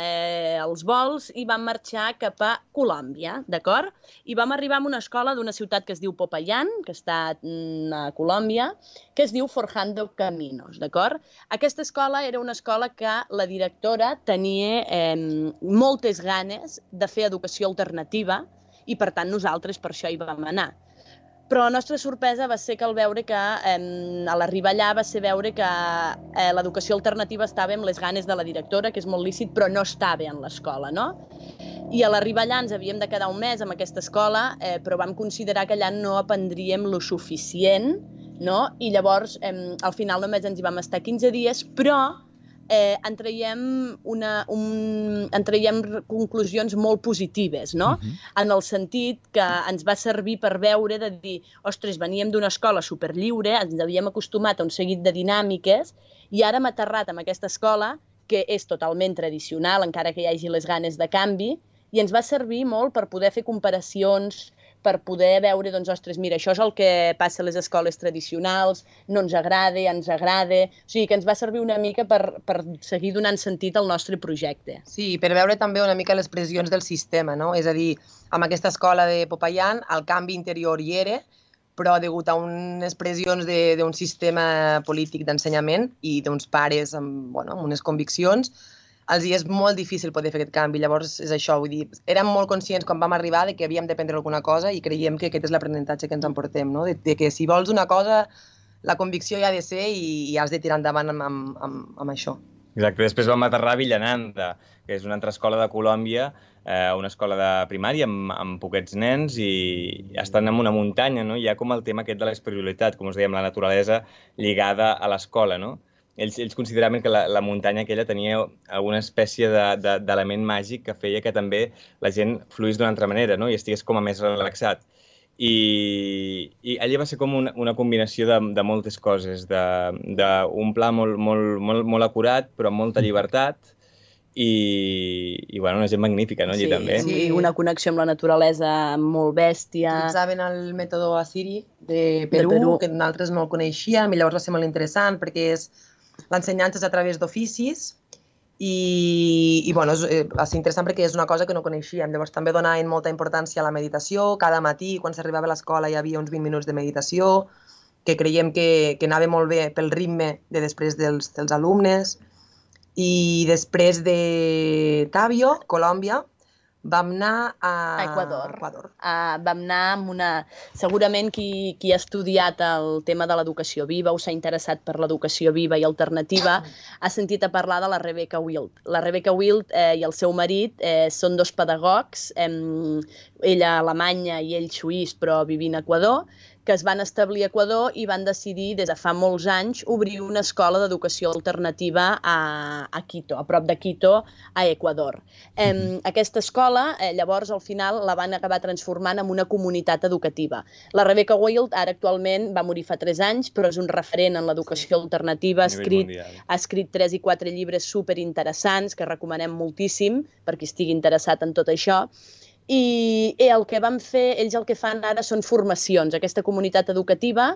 els vols i vam marxar cap a Colòmbia, d'acord? I vam arribar a una escola d'una ciutat que es diu Popayán, que està a Colòmbia, que es diu Forjando Caminos, d'acord? Aquesta escola era una escola que la directora tenia moltes ganes de fer educació alternativa i, per tant, nosaltres per això hi vam anar. Però la nostra sorpresa va ser que al veure que, a l'arribar allà, va ser veure que l'educació alternativa estava amb les ganes de la directora, que és molt lícit, però no estava en l'escola, no? I a l'arribar allà ens havíem de quedar un mes amb aquesta escola, però vam considerar que allà no aprendríem lo suficient, no? I llavors, al final només ens hi vam estar 15 dies, però en traiem conclusions molt positives, no? En el sentit que ens va servir per veure de dir, ostres, veníem d'una escola superlliure, ens havíem acostumat a un seguit de dinàmiques i ara hem aterrat en aquesta escola que és totalment tradicional, encara que hi hagi les ganes de canvi, i ens va servir molt per poder fer comparacions, per poder veure, doncs, ostres, mira, això és el que passa a les escoles tradicionals, no ens agrada, ens agrada... O sigui, que ens va servir una mica per seguir donant sentit al nostre projecte. Sí, per veure també una mica les pressions del sistema, no? És a dir, amb aquesta escola de Popayán, el canvi interior hi era, però degut a unes pressions d'un sistema polític d'ensenyament i d'uns pares amb unes conviccions, els és molt difícil poder fer aquest canvi. Llavors, és això, vull dir, érem molt conscients quan vam arribar de que havíem d'aprendre alguna cosa i creiem que aquest és l'aprenentatge que ens emportem, no? De que si vols una cosa, la convicció hi ha de ser i has de tirar endavant amb això. Exacte, després vam aterrar a Villananda, que és una altra escola de Colòmbia, una escola de primària amb poquets nens i estan en una muntanya, no? Hi ha com el tema aquest de l'espiritualitat, com us dèiem, la naturalesa lligada a l'escola, no? Ells consideraven que la muntanya aquella tenia alguna espècie d'element màgic que feia que també la gent fluís d'una altra manera, no? I estigués com a més relaxat. I allà va ser com una combinació de moltes coses, d'un pla molt acurat, però amb molta llibertat, i una gent magnífica, no, allí també. Sí, una connexió amb la naturalesa molt bèstia. Utilitzaven el mètode Asiri de Perú, que nosaltres no el coneixíem, i llavors va ser molt interessant perquè l'ensenyança és a través d'oficis i va ser interessant perquè és una cosa que no coneixíem. Llavors també donaven molta importància a la meditació. Cada matí, quan s'arribava a l'escola, hi havia uns 20 minuts de meditació, que creiem que anava molt bé pel ritme de després dels alumnes. I després de Tàbio, Colòmbia, vam anar a Equador. Equador. Vam anar amb una... Segurament qui ha estudiat el tema de l'educació viva o s'ha interessat per l'educació viva i alternativa ha sentit a parlar de la Rebecca Wild. La Rebecca Wild i el seu marit són dos pedagogs, ella alemanya i ell suís, però vivint a Equador, que es van establir a Equador i van decidir des de fa molts anys obrir una escola d'educació alternativa a Quito, a prop de Quito, a Equador. Aquesta escola, llavors, al final, la van acabar transformant en una comunitat educativa. La Rebecca Wild, ara actualment, va morir fa 3 anys, però és un referent en l'educació alternativa, ha escrit 3 i 4 llibres superinteressants que recomanem moltíssim per qui estigui interessat en tot això. I el que van fer, ells el que fan ara són formacions. Aquesta comunitat educativa,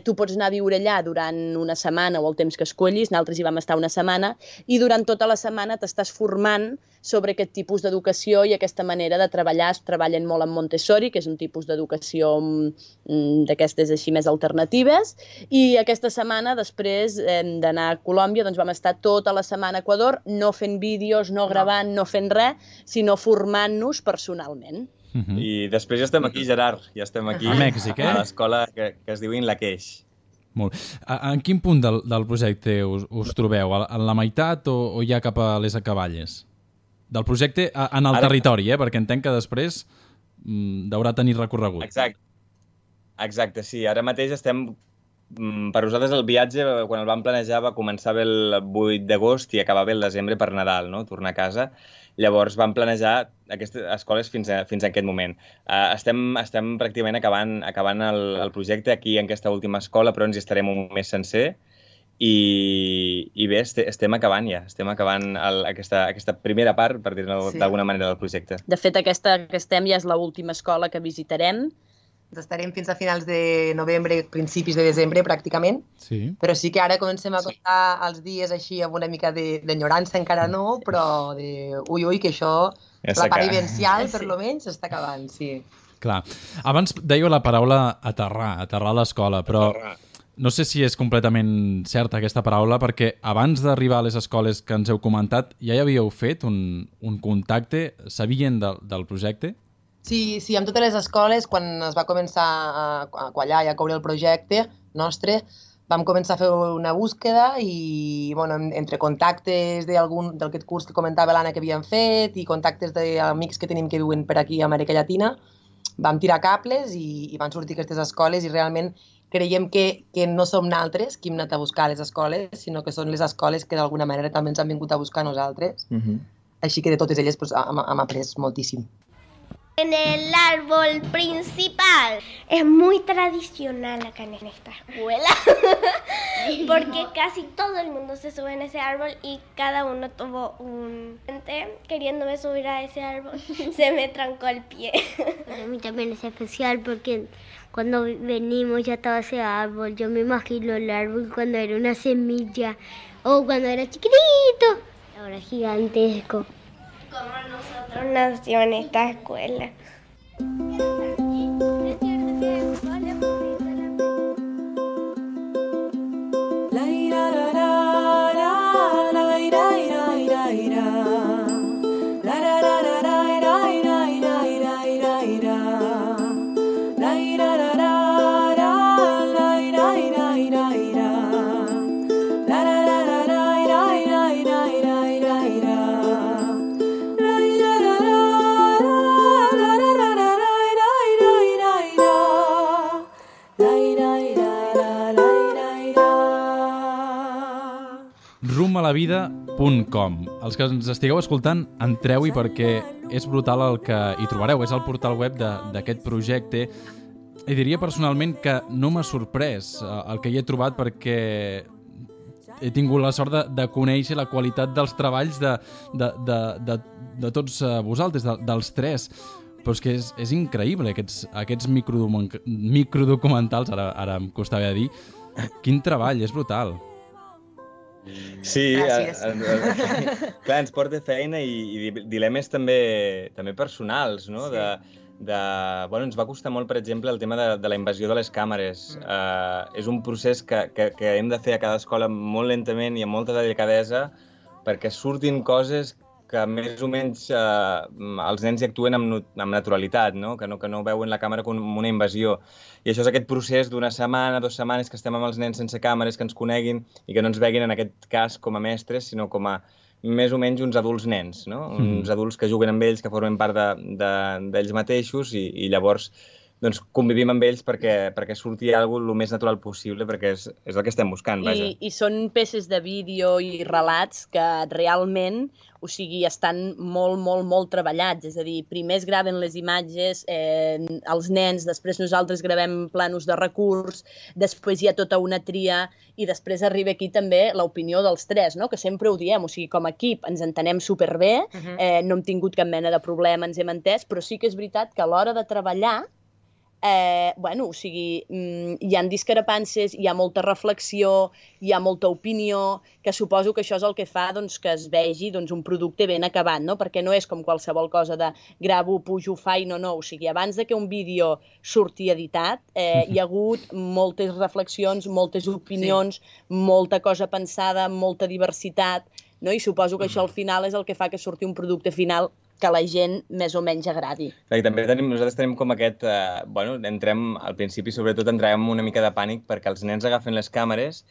tu pots anar a viure allà durant una setmana o el temps que escollis, nosaltres hi vam estar una setmana, i durant tota la setmana t'estàs formant sobre aquest tipus d'educació i aquesta manera de treballar. Es treballen molt en Montessori, que és un tipus d'educació d'aquestes així més alternatives, i aquesta setmana, després d'anar a Colòmbia, doncs vam estar tota la setmana a Equador, no fent vídeos, no gravant, no fent res, sinó formant-nos personalment. I després ja estem aquí, Gerard, ja estem aquí a Mèxic, a l'escola que es diu Inlaqueix. Molt. En quin punt del projecte us trobeu? En la meitat o ja cap a les acaballes? Del projecte en el territori, perquè entenc que després deurà tenir recorregut. Exacte, sí. Ara mateix estem... Per nosaltres el viatge, quan el vam planejar, va començar bé el 8 d'agost i acabava bé el desembre per Nadal, no? Tornar a casa. Llavors vam planejar aquestes escoles fins a aquest moment. Estem pràcticament acabant el projecte aquí en aquesta última escola, però ens hi estarem un mes sencer. I bé, estem acabant ja. Estem acabant aquesta primera part, per dir-ho d'alguna manera, del projecte. De fet, aquesta que estem ja és l'última escola que visitarem. Estarem fins a finals de novembre, principis de desembre, pràcticament. Sí. Però sí que ara comencem a comptar els dies així amb una mica d'enyorança, encara no, però ui, que això, la part vivencial, per lo menys, s'està acabant, sí. Clar. Abans dèieu la paraula aterrar a l'escola, però no sé si és completament certa aquesta paraula, perquè abans d'arribar a les escoles que ens heu comentat, ja hi havíeu fet un contacte? Sabien del projecte? Sí, amb totes les escoles, quan es va començar a quallar i a coure el projecte nostre, vam començar a fer una búsqueda i, entre contactes d'aquest curs que comentava l'Anna que havíem fet i contactes d'amics que tenim que viuen per aquí a Amèrica Llatina, vam tirar cables i van sortir aquestes escoles i realment creiem que no som nosaltres qui hem anat a buscar a les escoles, sinó que són les escoles que d'alguna manera també ens han vingut a buscar a nosaltres. Així que de totes elles hem après moltíssim. En el árbol principal. Es muy tradicional acá en esta escuela, porque casi todo el mundo se sube en ese árbol y cada uno tuvo un... Queriéndome subir a ese árbol, se me trancó el pie. Para mí también es especial porque cuando venimos ya estaba ese árbol. Yo me imagino el árbol cuando era una semilla o cuando era chiquitito, ahora es gigantesco. Como nosotros nació en esta escuela. rumalavida.com. Els que ens estigueu escoltant, entreu-hi perquè és brutal el que hi trobareu. És el portal web d'aquest projecte. I diria personalment que no m'ha sorprès el que hi he trobat perquè he tingut la sort de conèixer la qualitat dels treballs de tots vosaltres, dels 3. Però és que és increïble, aquests microdocumentals, ara em costava dir. Quin treball, és brutal. Sí, clar, ens porta feina i dilemes també personals, no? Ens va costar molt, per exemple, el tema de la invasió de les càmeres. És un procés que hem de fer a cada escola molt lentament i amb molta delicadesa perquè surtin coses que més o menys els nens hi actuen amb naturalitat, no? Que no veuen la càmera com una invasió. I això és aquest procés d'una setmana, 2 setmanes que estem amb els nens sense càmeres, que ens coneguin i que no ens veguin en aquest cas com a mestres, sinó com a més o menys uns adults nens, no? Uns adults que juguen amb ells, que formen part d'ells mateixos i llavors doncs convivim amb ells perquè surti alguna cosa el més natural possible, perquè és el que estem buscant, vaja. I són peces de vídeo i relats que realment, o sigui, estan molt treballats. És a dir, primer es graven les imatges, els nens, després nosaltres gravem planos de recurs, després hi ha tota una tria i després arriba aquí també l'opinió dels 3, no? Que sempre ho diem, o sigui, com a equip ens entenem superbé, no hem tingut cap mena de problema, ens hem entès, però sí que és veritat que a l'hora de treballar o sigui, hi ha discrepàncies, hi ha molta reflexió, hi ha molta opinió, que suposo que això és el que fa que es vegi un producte ben acabat, no? Perquè no és com qualsevol cosa de gravo, pujo, faig, no, o sigui, abans que un vídeo surti editat, hi ha hagut moltes reflexions, moltes opinions, molta cosa pensada, molta diversitat, no? I suposo que això al final és el que fa que surti un producte final que la gent més o menys agradi. I també nosaltres tenim com aquest... al principi sobretot entràvem una mica de pànic perquè els nens agafen les càmeres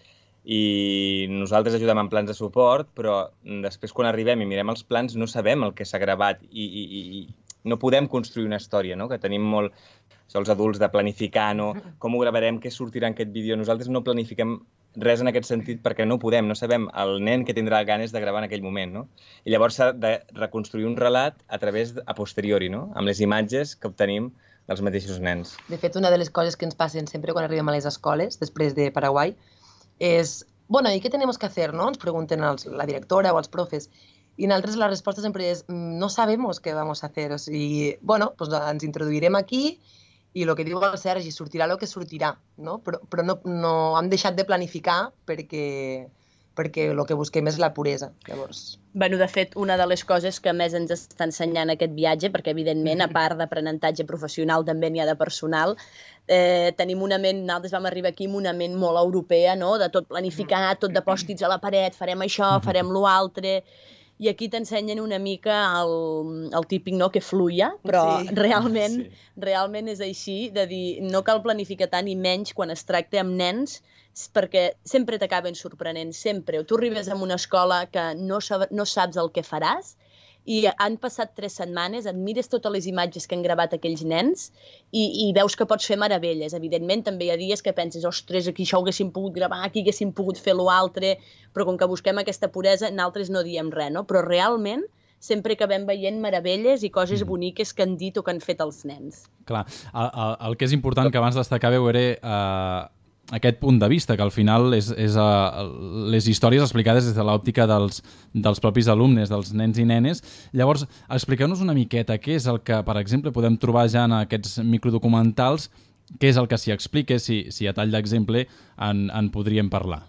i nosaltres ajudem en plans de suport, però després quan arribem i mirem els plans no sabem el que s'ha gravat i no podem construir una història, no? Que tenim molt els adults de planificar, no? Com ho gravarem, què sortirà en aquest vídeo. Nosaltres no planifiquem res en aquest sentit perquè no podem, no sabem el nen que tindrà ganes de gravar en aquell moment, no? I llavors s'ha de reconstruir un relat a posteriori, no? Amb les imatges que obtenim dels mateixos nens. De fet, una de les coses que ens passen sempre quan arribem a les escoles, després de Paraguai, és, bueno, ¿y qué tenemos que hacer, no? Ens pregunten la directora o els profes. I nosaltres la resposta sempre és, no sabemos qué vamos a hacer. O sigui, bueno, pues ens introduirem aquí i el que diu el Sergi, sortirà el que sortirà, no? Però no hem deixat de planificar perquè el que busquem és la puresa, llavors. Bueno, de fet, una de les coses que més ens està ensenyant aquest viatge, perquè evidentment, a part d'aprenentatge professional, també n'hi ha de personal, tenim una ment, nosaltres vam arribar aquí amb una ment molt europea, no? De tot planificar, tot de pòstits a la paret, farem això, farem l'altre... I aquí t'ensenyen una mica el típic, no?, que fluia, però realment és així, de dir, no cal planificar tant i menys quan es tracta amb nens, perquè sempre t'acaben sorprenent, sempre. O tu arribes a una escola que no saps el que faràs i han passat 3 setmanes, et mires totes les imatges que han gravat aquells nens i veus que pots fer meravelles. Evidentment, també hi ha dies que penses, ostres, aquí això ho haguéssim pogut gravar, aquí haguéssim pogut fer l'altre, però com que busquem aquesta puresa, nosaltres no diem res, no? Però realment sempre acabem veient meravelles i coses boniques que han dit o que han fet els nens. Clar, el que és important que abans destacàveu era aquest punt de vista, que al final és les històries explicades des de l'òptica dels propis alumnes, dels nens i nenes. Llavors, expliqueu-nos una miqueta què és el que, per exemple, podem trobar ja en aquests microdocumentals, què és el que s'hi explica, si a tall d'exemple en podríem parlar.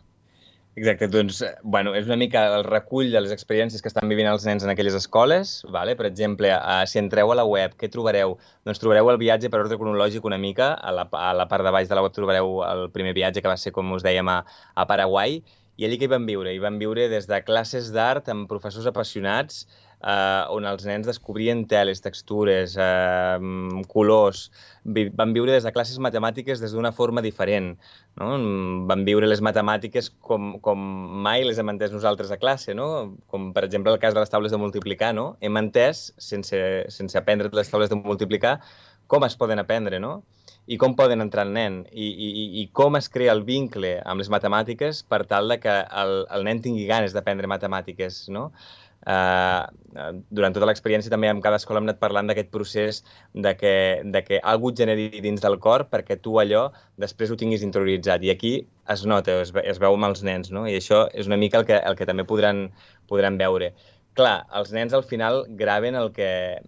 Exacte, doncs, bueno, és una mica el recull de les experiències que estan vivint els nens en aquelles escoles. Vale? Per exemple, si entreu a la web, què trobareu? Doncs trobareu el viatge per ordre cronològic una mica. A la part de baix de la web trobareu el primer viatge, que va ser, com us dèiem, a Paraguai. I allí que hi van viure? Hi van viure des de classes d'art amb professors apassionats, on els nens descobrien teles, textures, colors. Van viure des de classes matemàtiques des d'una forma diferent. No? Van viure les matemàtiques com mai les hem entès nosaltres a classe, no? Com per exemple el cas de les taules de multiplicar. No? Hem entès, sense aprendre les taules de multiplicar, com es poden aprendre, no? I com poden entrar el nen, i com es crea el vincle amb les matemàtiques per tal que el nen tingui ganes d'aprendre matemàtiques, no? Durant tota l'experiència també amb cada escola hem anat parlant d'aquest procés de que algú et generi dins del cor perquè tu allò després ho tinguis interioritzat, i aquí es nota, es veu amb els nens, no? I això és una mica el que també podran veure. Clar, els nens al final graven el que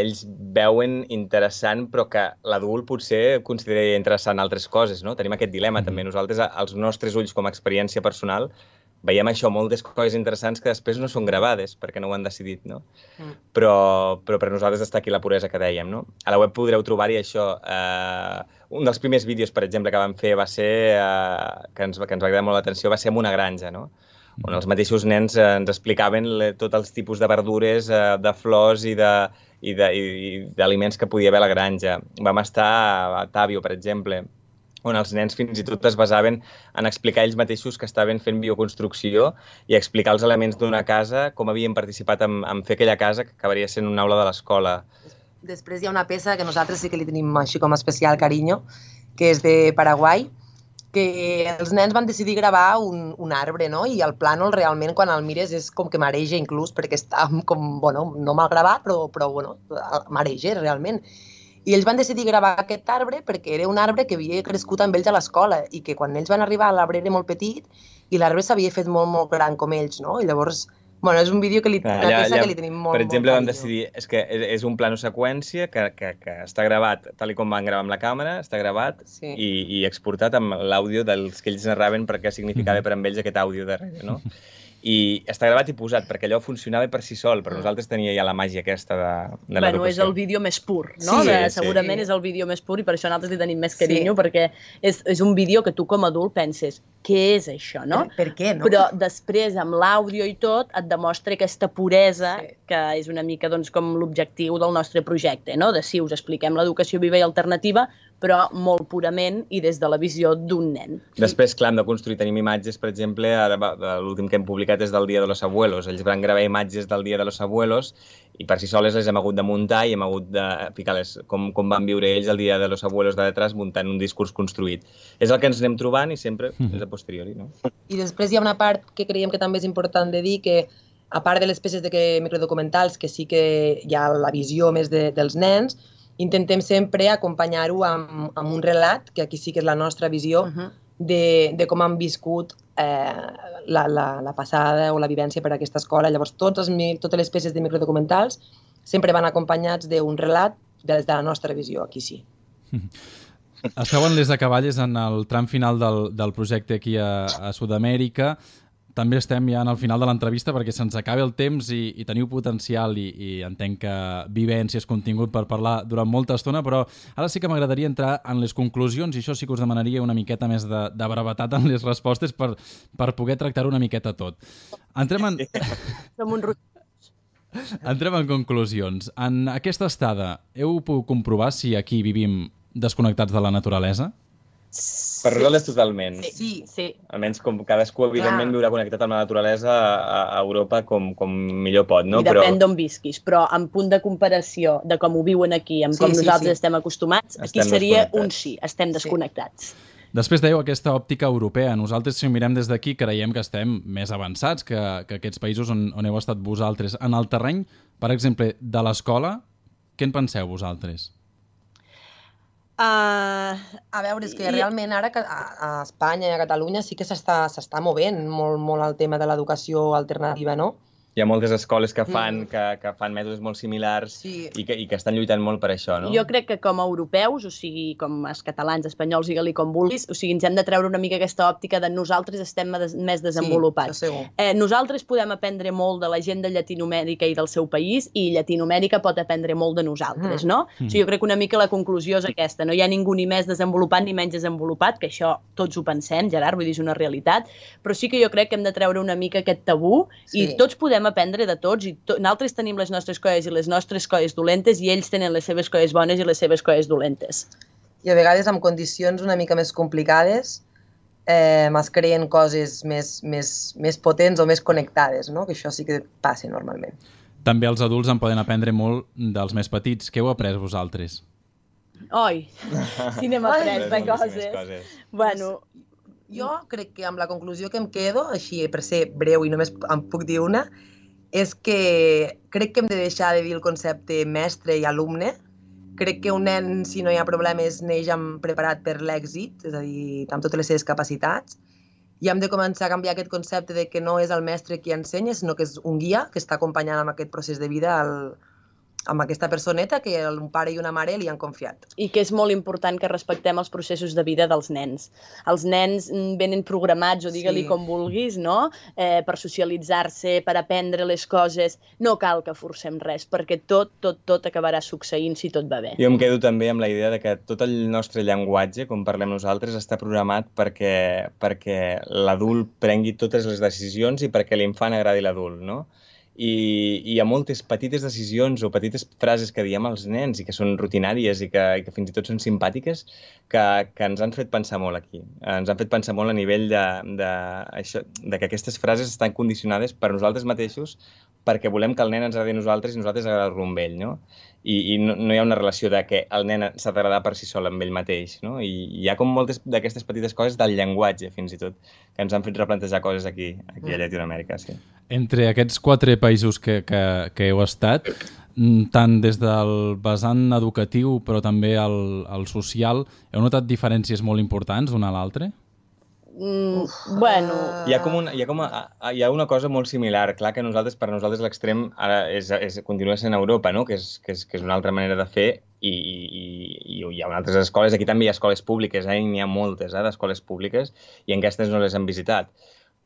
ells veuen interessant, però que l'adult potser considera interessant altres coses, no? Tenim aquest dilema també. Nosaltres, als nostres ulls com a experiència personal, veiem això, moltes coses interessants que després no són gravades perquè no ho han decidit, no? Però per nosaltres està aquí la puresa que dèiem, no? A la web podreu trobar-hi això. Un dels primers vídeos, per exemple, que vam fer va ser, que ens va cridar molt l'atenció, va ser en una granja, no? on els mateixos nens ens explicaven tots els tipus de verdures, de flors i d'aliments que podia haver a la granja. Vam estar a Tàbio, per exemple, on els nens fins i tot es basaven en explicar ells mateixos que estaven fent bioconstrucció i explicar els elements d'una casa, com havien participat en fer aquella casa que acabaria sent una aula de l'escola. Després hi ha una peça que nosaltres sí que li tenim així com especial carinyo, que és de Paraguai, que els nens van decidir gravar un arbre, no? I el plànol realment quan el mires és com que mareja inclús, perquè està com, bueno, no mal gravat, però bueno, mareja realment. I ells van decidir gravar aquest arbre perquè era un arbre que havia crescut amb ells a l'escola i que quan ells van arribar l'arbre era molt petit i l'arbre s'havia fet molt, molt gran com ells, no? I llavors, bueno, és un vídeo que una peça que li tenim molt, per exemple, molt vam decidir, és que és un plano seqüència que està gravat tal com van gravar amb la càmera, està gravat i exportat amb l'àudio dels que ells narraven per què significava per a ells aquest àudio darrere, no? I està gravat i posat, perquè allò funcionava per si sol, però nosaltres tenia ja la màgia aquesta de l'educació. Bueno, és el vídeo més pur, no? Segurament és el vídeo més pur i per això nosaltres li tenim més carinyo, perquè és un vídeo que tu com a adult penses, què és això, no? Per què, no? Però després, amb l'àudio i tot, et demostra aquesta puresa, que és una mica com l'objectiu del nostre projecte, no? De si us expliquem l'educació viva i alternativa, però molt purament i des de la visió d'un nen. Després, clar, hem de construir, tenim imatges, per exemple, l'últim que hem publicat és del Dia de los Abuelos. Ells van gravar imatges del Dia de los Abuelos i per si soles les hem hagut de muntar i hem hagut de ficar com van viure ells el Dia de los Abuelos de detrás muntant un discurs construït. És el que ens anem trobant i sempre és a posteriori, no? I després hi ha una part que creiem que també és important de dir que a part de les peces microdocumentals, que sí que hi ha la visió més dels nens, intentem sempre acompanyar-ho amb un relat, que aquí sí que és la nostra visió, de com han viscut la passada o la vivència per a aquesta escola. Llavors, totes les peces de microdocumentals sempre van acompanyats d'un relat des de la nostra visió, aquí sí. Esteu en Les Acaballes en el tram final del projecte aquí a Sud-amèrica. També estem ja al final de l'entrevista perquè se'ns acaba el temps i teniu potencial i entenc que vivències, contingut per parlar durant molta estona, però ara sí que m'agradaria entrar en les conclusions i això sí que us demanaria una miqueta més de brevetat en les respostes per poder tractar-ho una miqueta tot. Entrem en conclusions. En aquesta estada, heu pogut comprovar si aquí vivim desconnectats de la naturalesa? Per nosaltres totalment. Sí. Almenys com cadascú, evidentment, viurà connectat amb la naturalesa a Europa com millor pot, no? I depèn d'on visquis, però en punt de comparació de com ho viuen aquí, amb com nosaltres estem acostumats, aquí seria un sí, estem desconnectats. Després dèieu aquesta òptica europea. Nosaltres, si ho mirem des d'aquí, creiem que estem més avançats que aquests països on heu estat vosaltres. En el terreny, per exemple, de l'escola, què en penseu vosaltres? A veure, és que realment ara a Espanya i a Catalunya sí que s'està movent molt el tema de l'educació alternativa, no? Hi ha moltes escoles que fan mètodes molt similars i que estan lluitant molt per això, no? Jo crec que com a europeus, o sigui, com els catalans, espanyols, digue-li com vulguis, o sigui, ens hem de treure una mica aquesta òptica de nosaltres estem més desenvolupats. Nosaltres podem aprendre molt de la gent de Llatinoamèrica i del seu país i Llatinoamèrica pot aprendre molt de nosaltres, no? O sigui, jo crec que una mica la conclusió és aquesta. No hi ha ningú ni més desenvolupat ni menys desenvolupat, que això tots ho pensem, Gerard, vull dir, és una realitat, però sí que jo crec que hem de treure una mica aquest tabú i tots podem aprendre de tots i nosaltres tenim les nostres coses i les nostres coses dolentes i ells tenen les seves coses bones i les seves coses dolentes. I a vegades amb condicions una mica més complicades es creen coses més potents o més connectades, no? Que això sí que passa normalment. També els adults en poden aprendre molt dels més petits. Què heu après vosaltres? Oi, si n'hem après de coses. Bueno... Jo crec que amb la conclusió que em quedo, així per ser breu i només em puc dir una, és que crec que hem de deixar de dir el concepte mestre i alumne. Crec que un nen, si no hi ha problemes, neix preparat per l'èxit, és a dir, amb totes les seves capacitats. I hem de començar a canviar aquest concepte de que no és el mestre qui ensenya, sinó que és un guia que està acompanyant amb aquest procés de vida amb aquesta personeta que un pare i una mare li han confiat. I que és molt important que respectem els processos de vida dels nens. Els nens venen programats, o digue-li com vulguis, no? Per socialitzar-se, per aprendre les coses. No cal que forcem res, perquè tot acabarà succeint si tot va bé. Jo em quedo també amb la idea de que tot el nostre llenguatge, com parlem nosaltres, està programat perquè l'adult prengui totes les decisions i perquè l'infant agradi l'adult, no? I hi ha moltes petites decisions o petites frases que diem als nens i que són rutinàries i que fins i tot són simpàtiques que ens han fet pensar molt aquí. Ens han fet pensar molt a nivell de que aquestes frases estan condicionades per nosaltres mateixos perquè volem que el nen ens agradi a nosaltres i nosaltres agradar-lo amb ell, no? I no hi ha una relació de que el nen s'ha d'agradar per si sol amb ell mateix, no? I hi ha com moltes d'aquestes petites coses del llenguatge, fins i tot, que ens han fet replantejar coses aquí a Llatinoamèrica, sí. Entre aquests 4 països que heu estat, tant des del vessant educatiu però també el social, heu notat diferències molt importants d'un a l'altre? Bueno... Hi ha una cosa molt similar. Clar que per nosaltres l'extrem ara continua sent Europa, no? que és una altra manera de fer i hi ha altres escoles. Aquí també hi ha escoles públiques, n'hi ha moltes d'escoles públiques i aquestes no les hem visitat.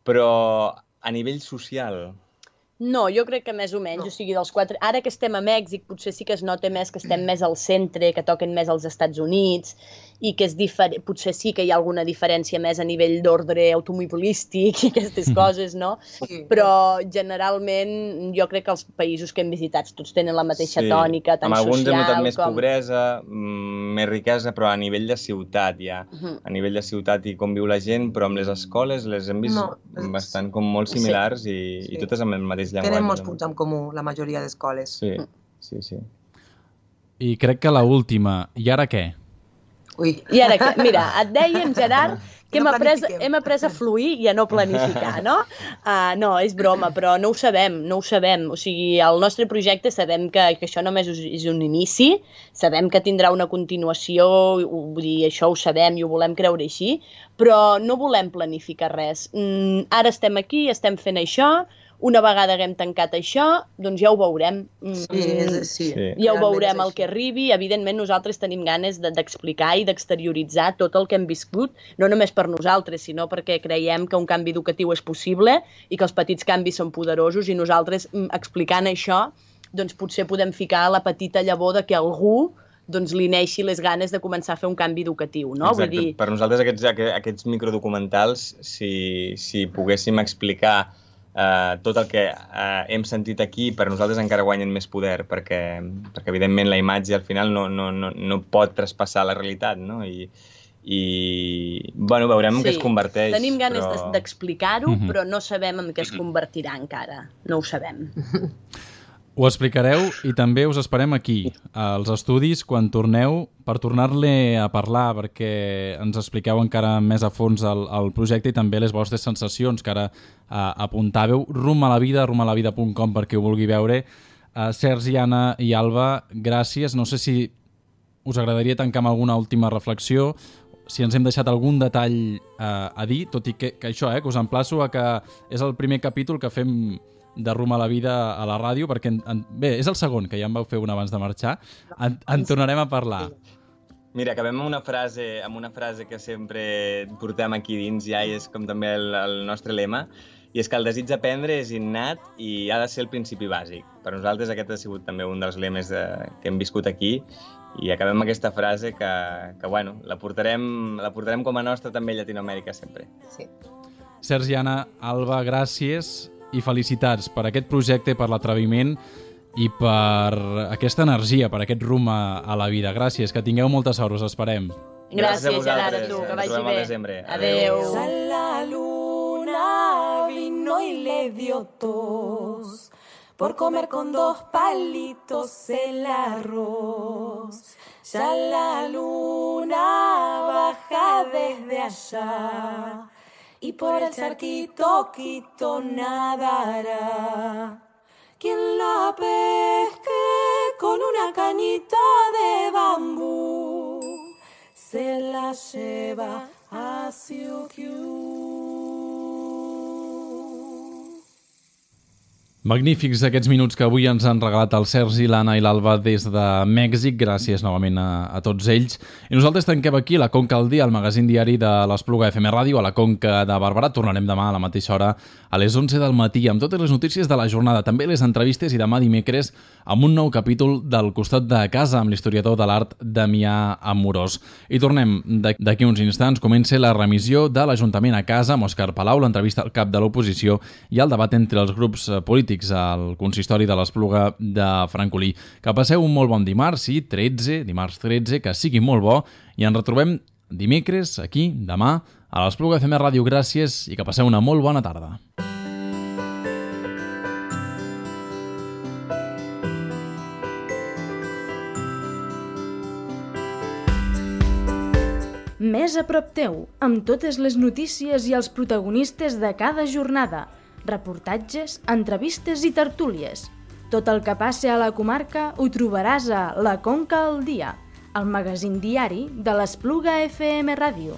Però a nivell social... No, jo crec que més o menys, o sigui, dels 4... Ara que estem a Mèxic, potser sí que es nota més que estem més al centre, que toquen més als Estats Units, i que és potser sí que hi ha alguna diferència més a nivell d'ordre automobilístic i aquestes coses, no? Sí. Però generalment jo crec que els països que hem visitat tots tenen la mateixa tònica, tant social com... Amb alguns hem notat més pobresa, més riquesa, però a nivell de ciutat ja. A nivell de ciutat i com viu la gent, però amb les escoles les hem vist bastant com molt similars i totes amb el mateix llenguatge. Tenen molts punts en comú, la majoria d'escoles. Sí. I crec que l'última, i ara què? Ui. I ara què? Mira, et dèiem, Gerard, que hem après a fluir i a no planificar, no? No, és broma, però no ho sabem. O sigui, el nostre projecte sabem que això només és un inici, sabem que tindrà una continuació, vull dir, això ho sabem i ho volem creure així, però no volem planificar res. Ara estem aquí, estem fent això, una vegada haguem tancat això, doncs ja ho veurem. Sí. Ja ho veurem el que arribi. Evidentment, nosaltres tenim ganes d'explicar i d'exterioritzar tot el que hem viscut, no només per nosaltres, sinó perquè creiem que un canvi educatiu és possible i que els petits canvis són poderosos i nosaltres, explicant això, doncs potser podem ficar la petita llavor de que algú li neixi les ganes de començar a fer un canvi educatiu, no? Exacte. Vull dir... Per nosaltres aquests microdocumentals, si poguéssim explicar tot el que hem sentit aquí, per nosaltres encara guanyen més poder, perquè evidentment la imatge al final no pot traspassar la realitat, no? I bueno, veurem en què es converteix. Tenim ganes d'explicar-ho, però no sabem en què es convertirà encara. No ho sabem. Ho explicareu i també us esperem aquí, als estudis, quan torneu, per tornar-ne a parlar, perquè ens expliqueu encara més a fons el projecte i també les vostres sensacions, que ara apuntàveu. rumalavida.com per qui ho vulgui veure. Sergi, Anna i Alba, gràcies. No sé si us agradaria tancar amb alguna última reflexió, si ens hem deixat algun detall a dir, tot i que això, que us emplaço a que és el primer capítol que fem de Rum a la Vida a la ràdio, perquè bé, és el segon, que ja en vau fer un abans de marxar. En tornarem a parlar. Mira, acabem amb una frase que sempre portem aquí dins ja i és com també el nostre lema, i és que el desig d'aprendre és innat i ha de ser el principi bàsic. Per nosaltres aquest ha sigut també un dels lemes que hem viscut aquí i acabem amb aquesta frase que bueno, la portarem com a nostra també a Llatinoamèrica sempre. Sí. Sergi, Anna, Alba, gràcies i felicitats per aquest projecte, per l'atreviment i per aquesta energia, per aquest rum a la vida. Gràcies, que tingueu molta sort, us esperem. Gràcies, Gerard, a tu, que vagi bé. Adéu. La luna vino y le dio tos por comer con 2 palitos el arroz. Ya la luna baja desde allá y por el charquito quito nadará. Quien la pesque con una cañita de bambú se la lleva a Siukiu. Magnífics aquests minuts que avui ens han regalat el Sergi, l'Anna i l'Alba des de Mèxic. Gràcies novament a tots ells. I nosaltres tanquem aquí la Conca al dia, el magazín diari de l'Espluga FM Ràdio a la Conca de Barberà. Tornarem demà a la mateixa hora a les 11 del matí amb totes les notícies de la jornada, també les entrevistes i demà dimecres amb un nou capítol del Costat de Casa amb l'historiador de l'art Damià Amorós. I tornem d'aquí uns instants. Comença la remissió de l'Ajuntament a Casa amb Òscar Palau, l'entrevista al cap de l'oposició i el debat entre els grups polítics al consistori de l'Espluga de Francolí. Que passeu un molt bon dimarts, dimarts 13, que sigui molt bo, i ens retrobem dimecres, aquí, demà, a l'Espluga FM Ràdio. Gràcies i que passeu una molt bona tarda. Més a prop teu, amb totes les notícies i els protagonistes de cada jornada. Reportatges, entrevistes i tertúlies. Tot el que passa a la comarca ho trobaràs a La Conca al dia, el magazín diari de l'Espluga FM Ràdio.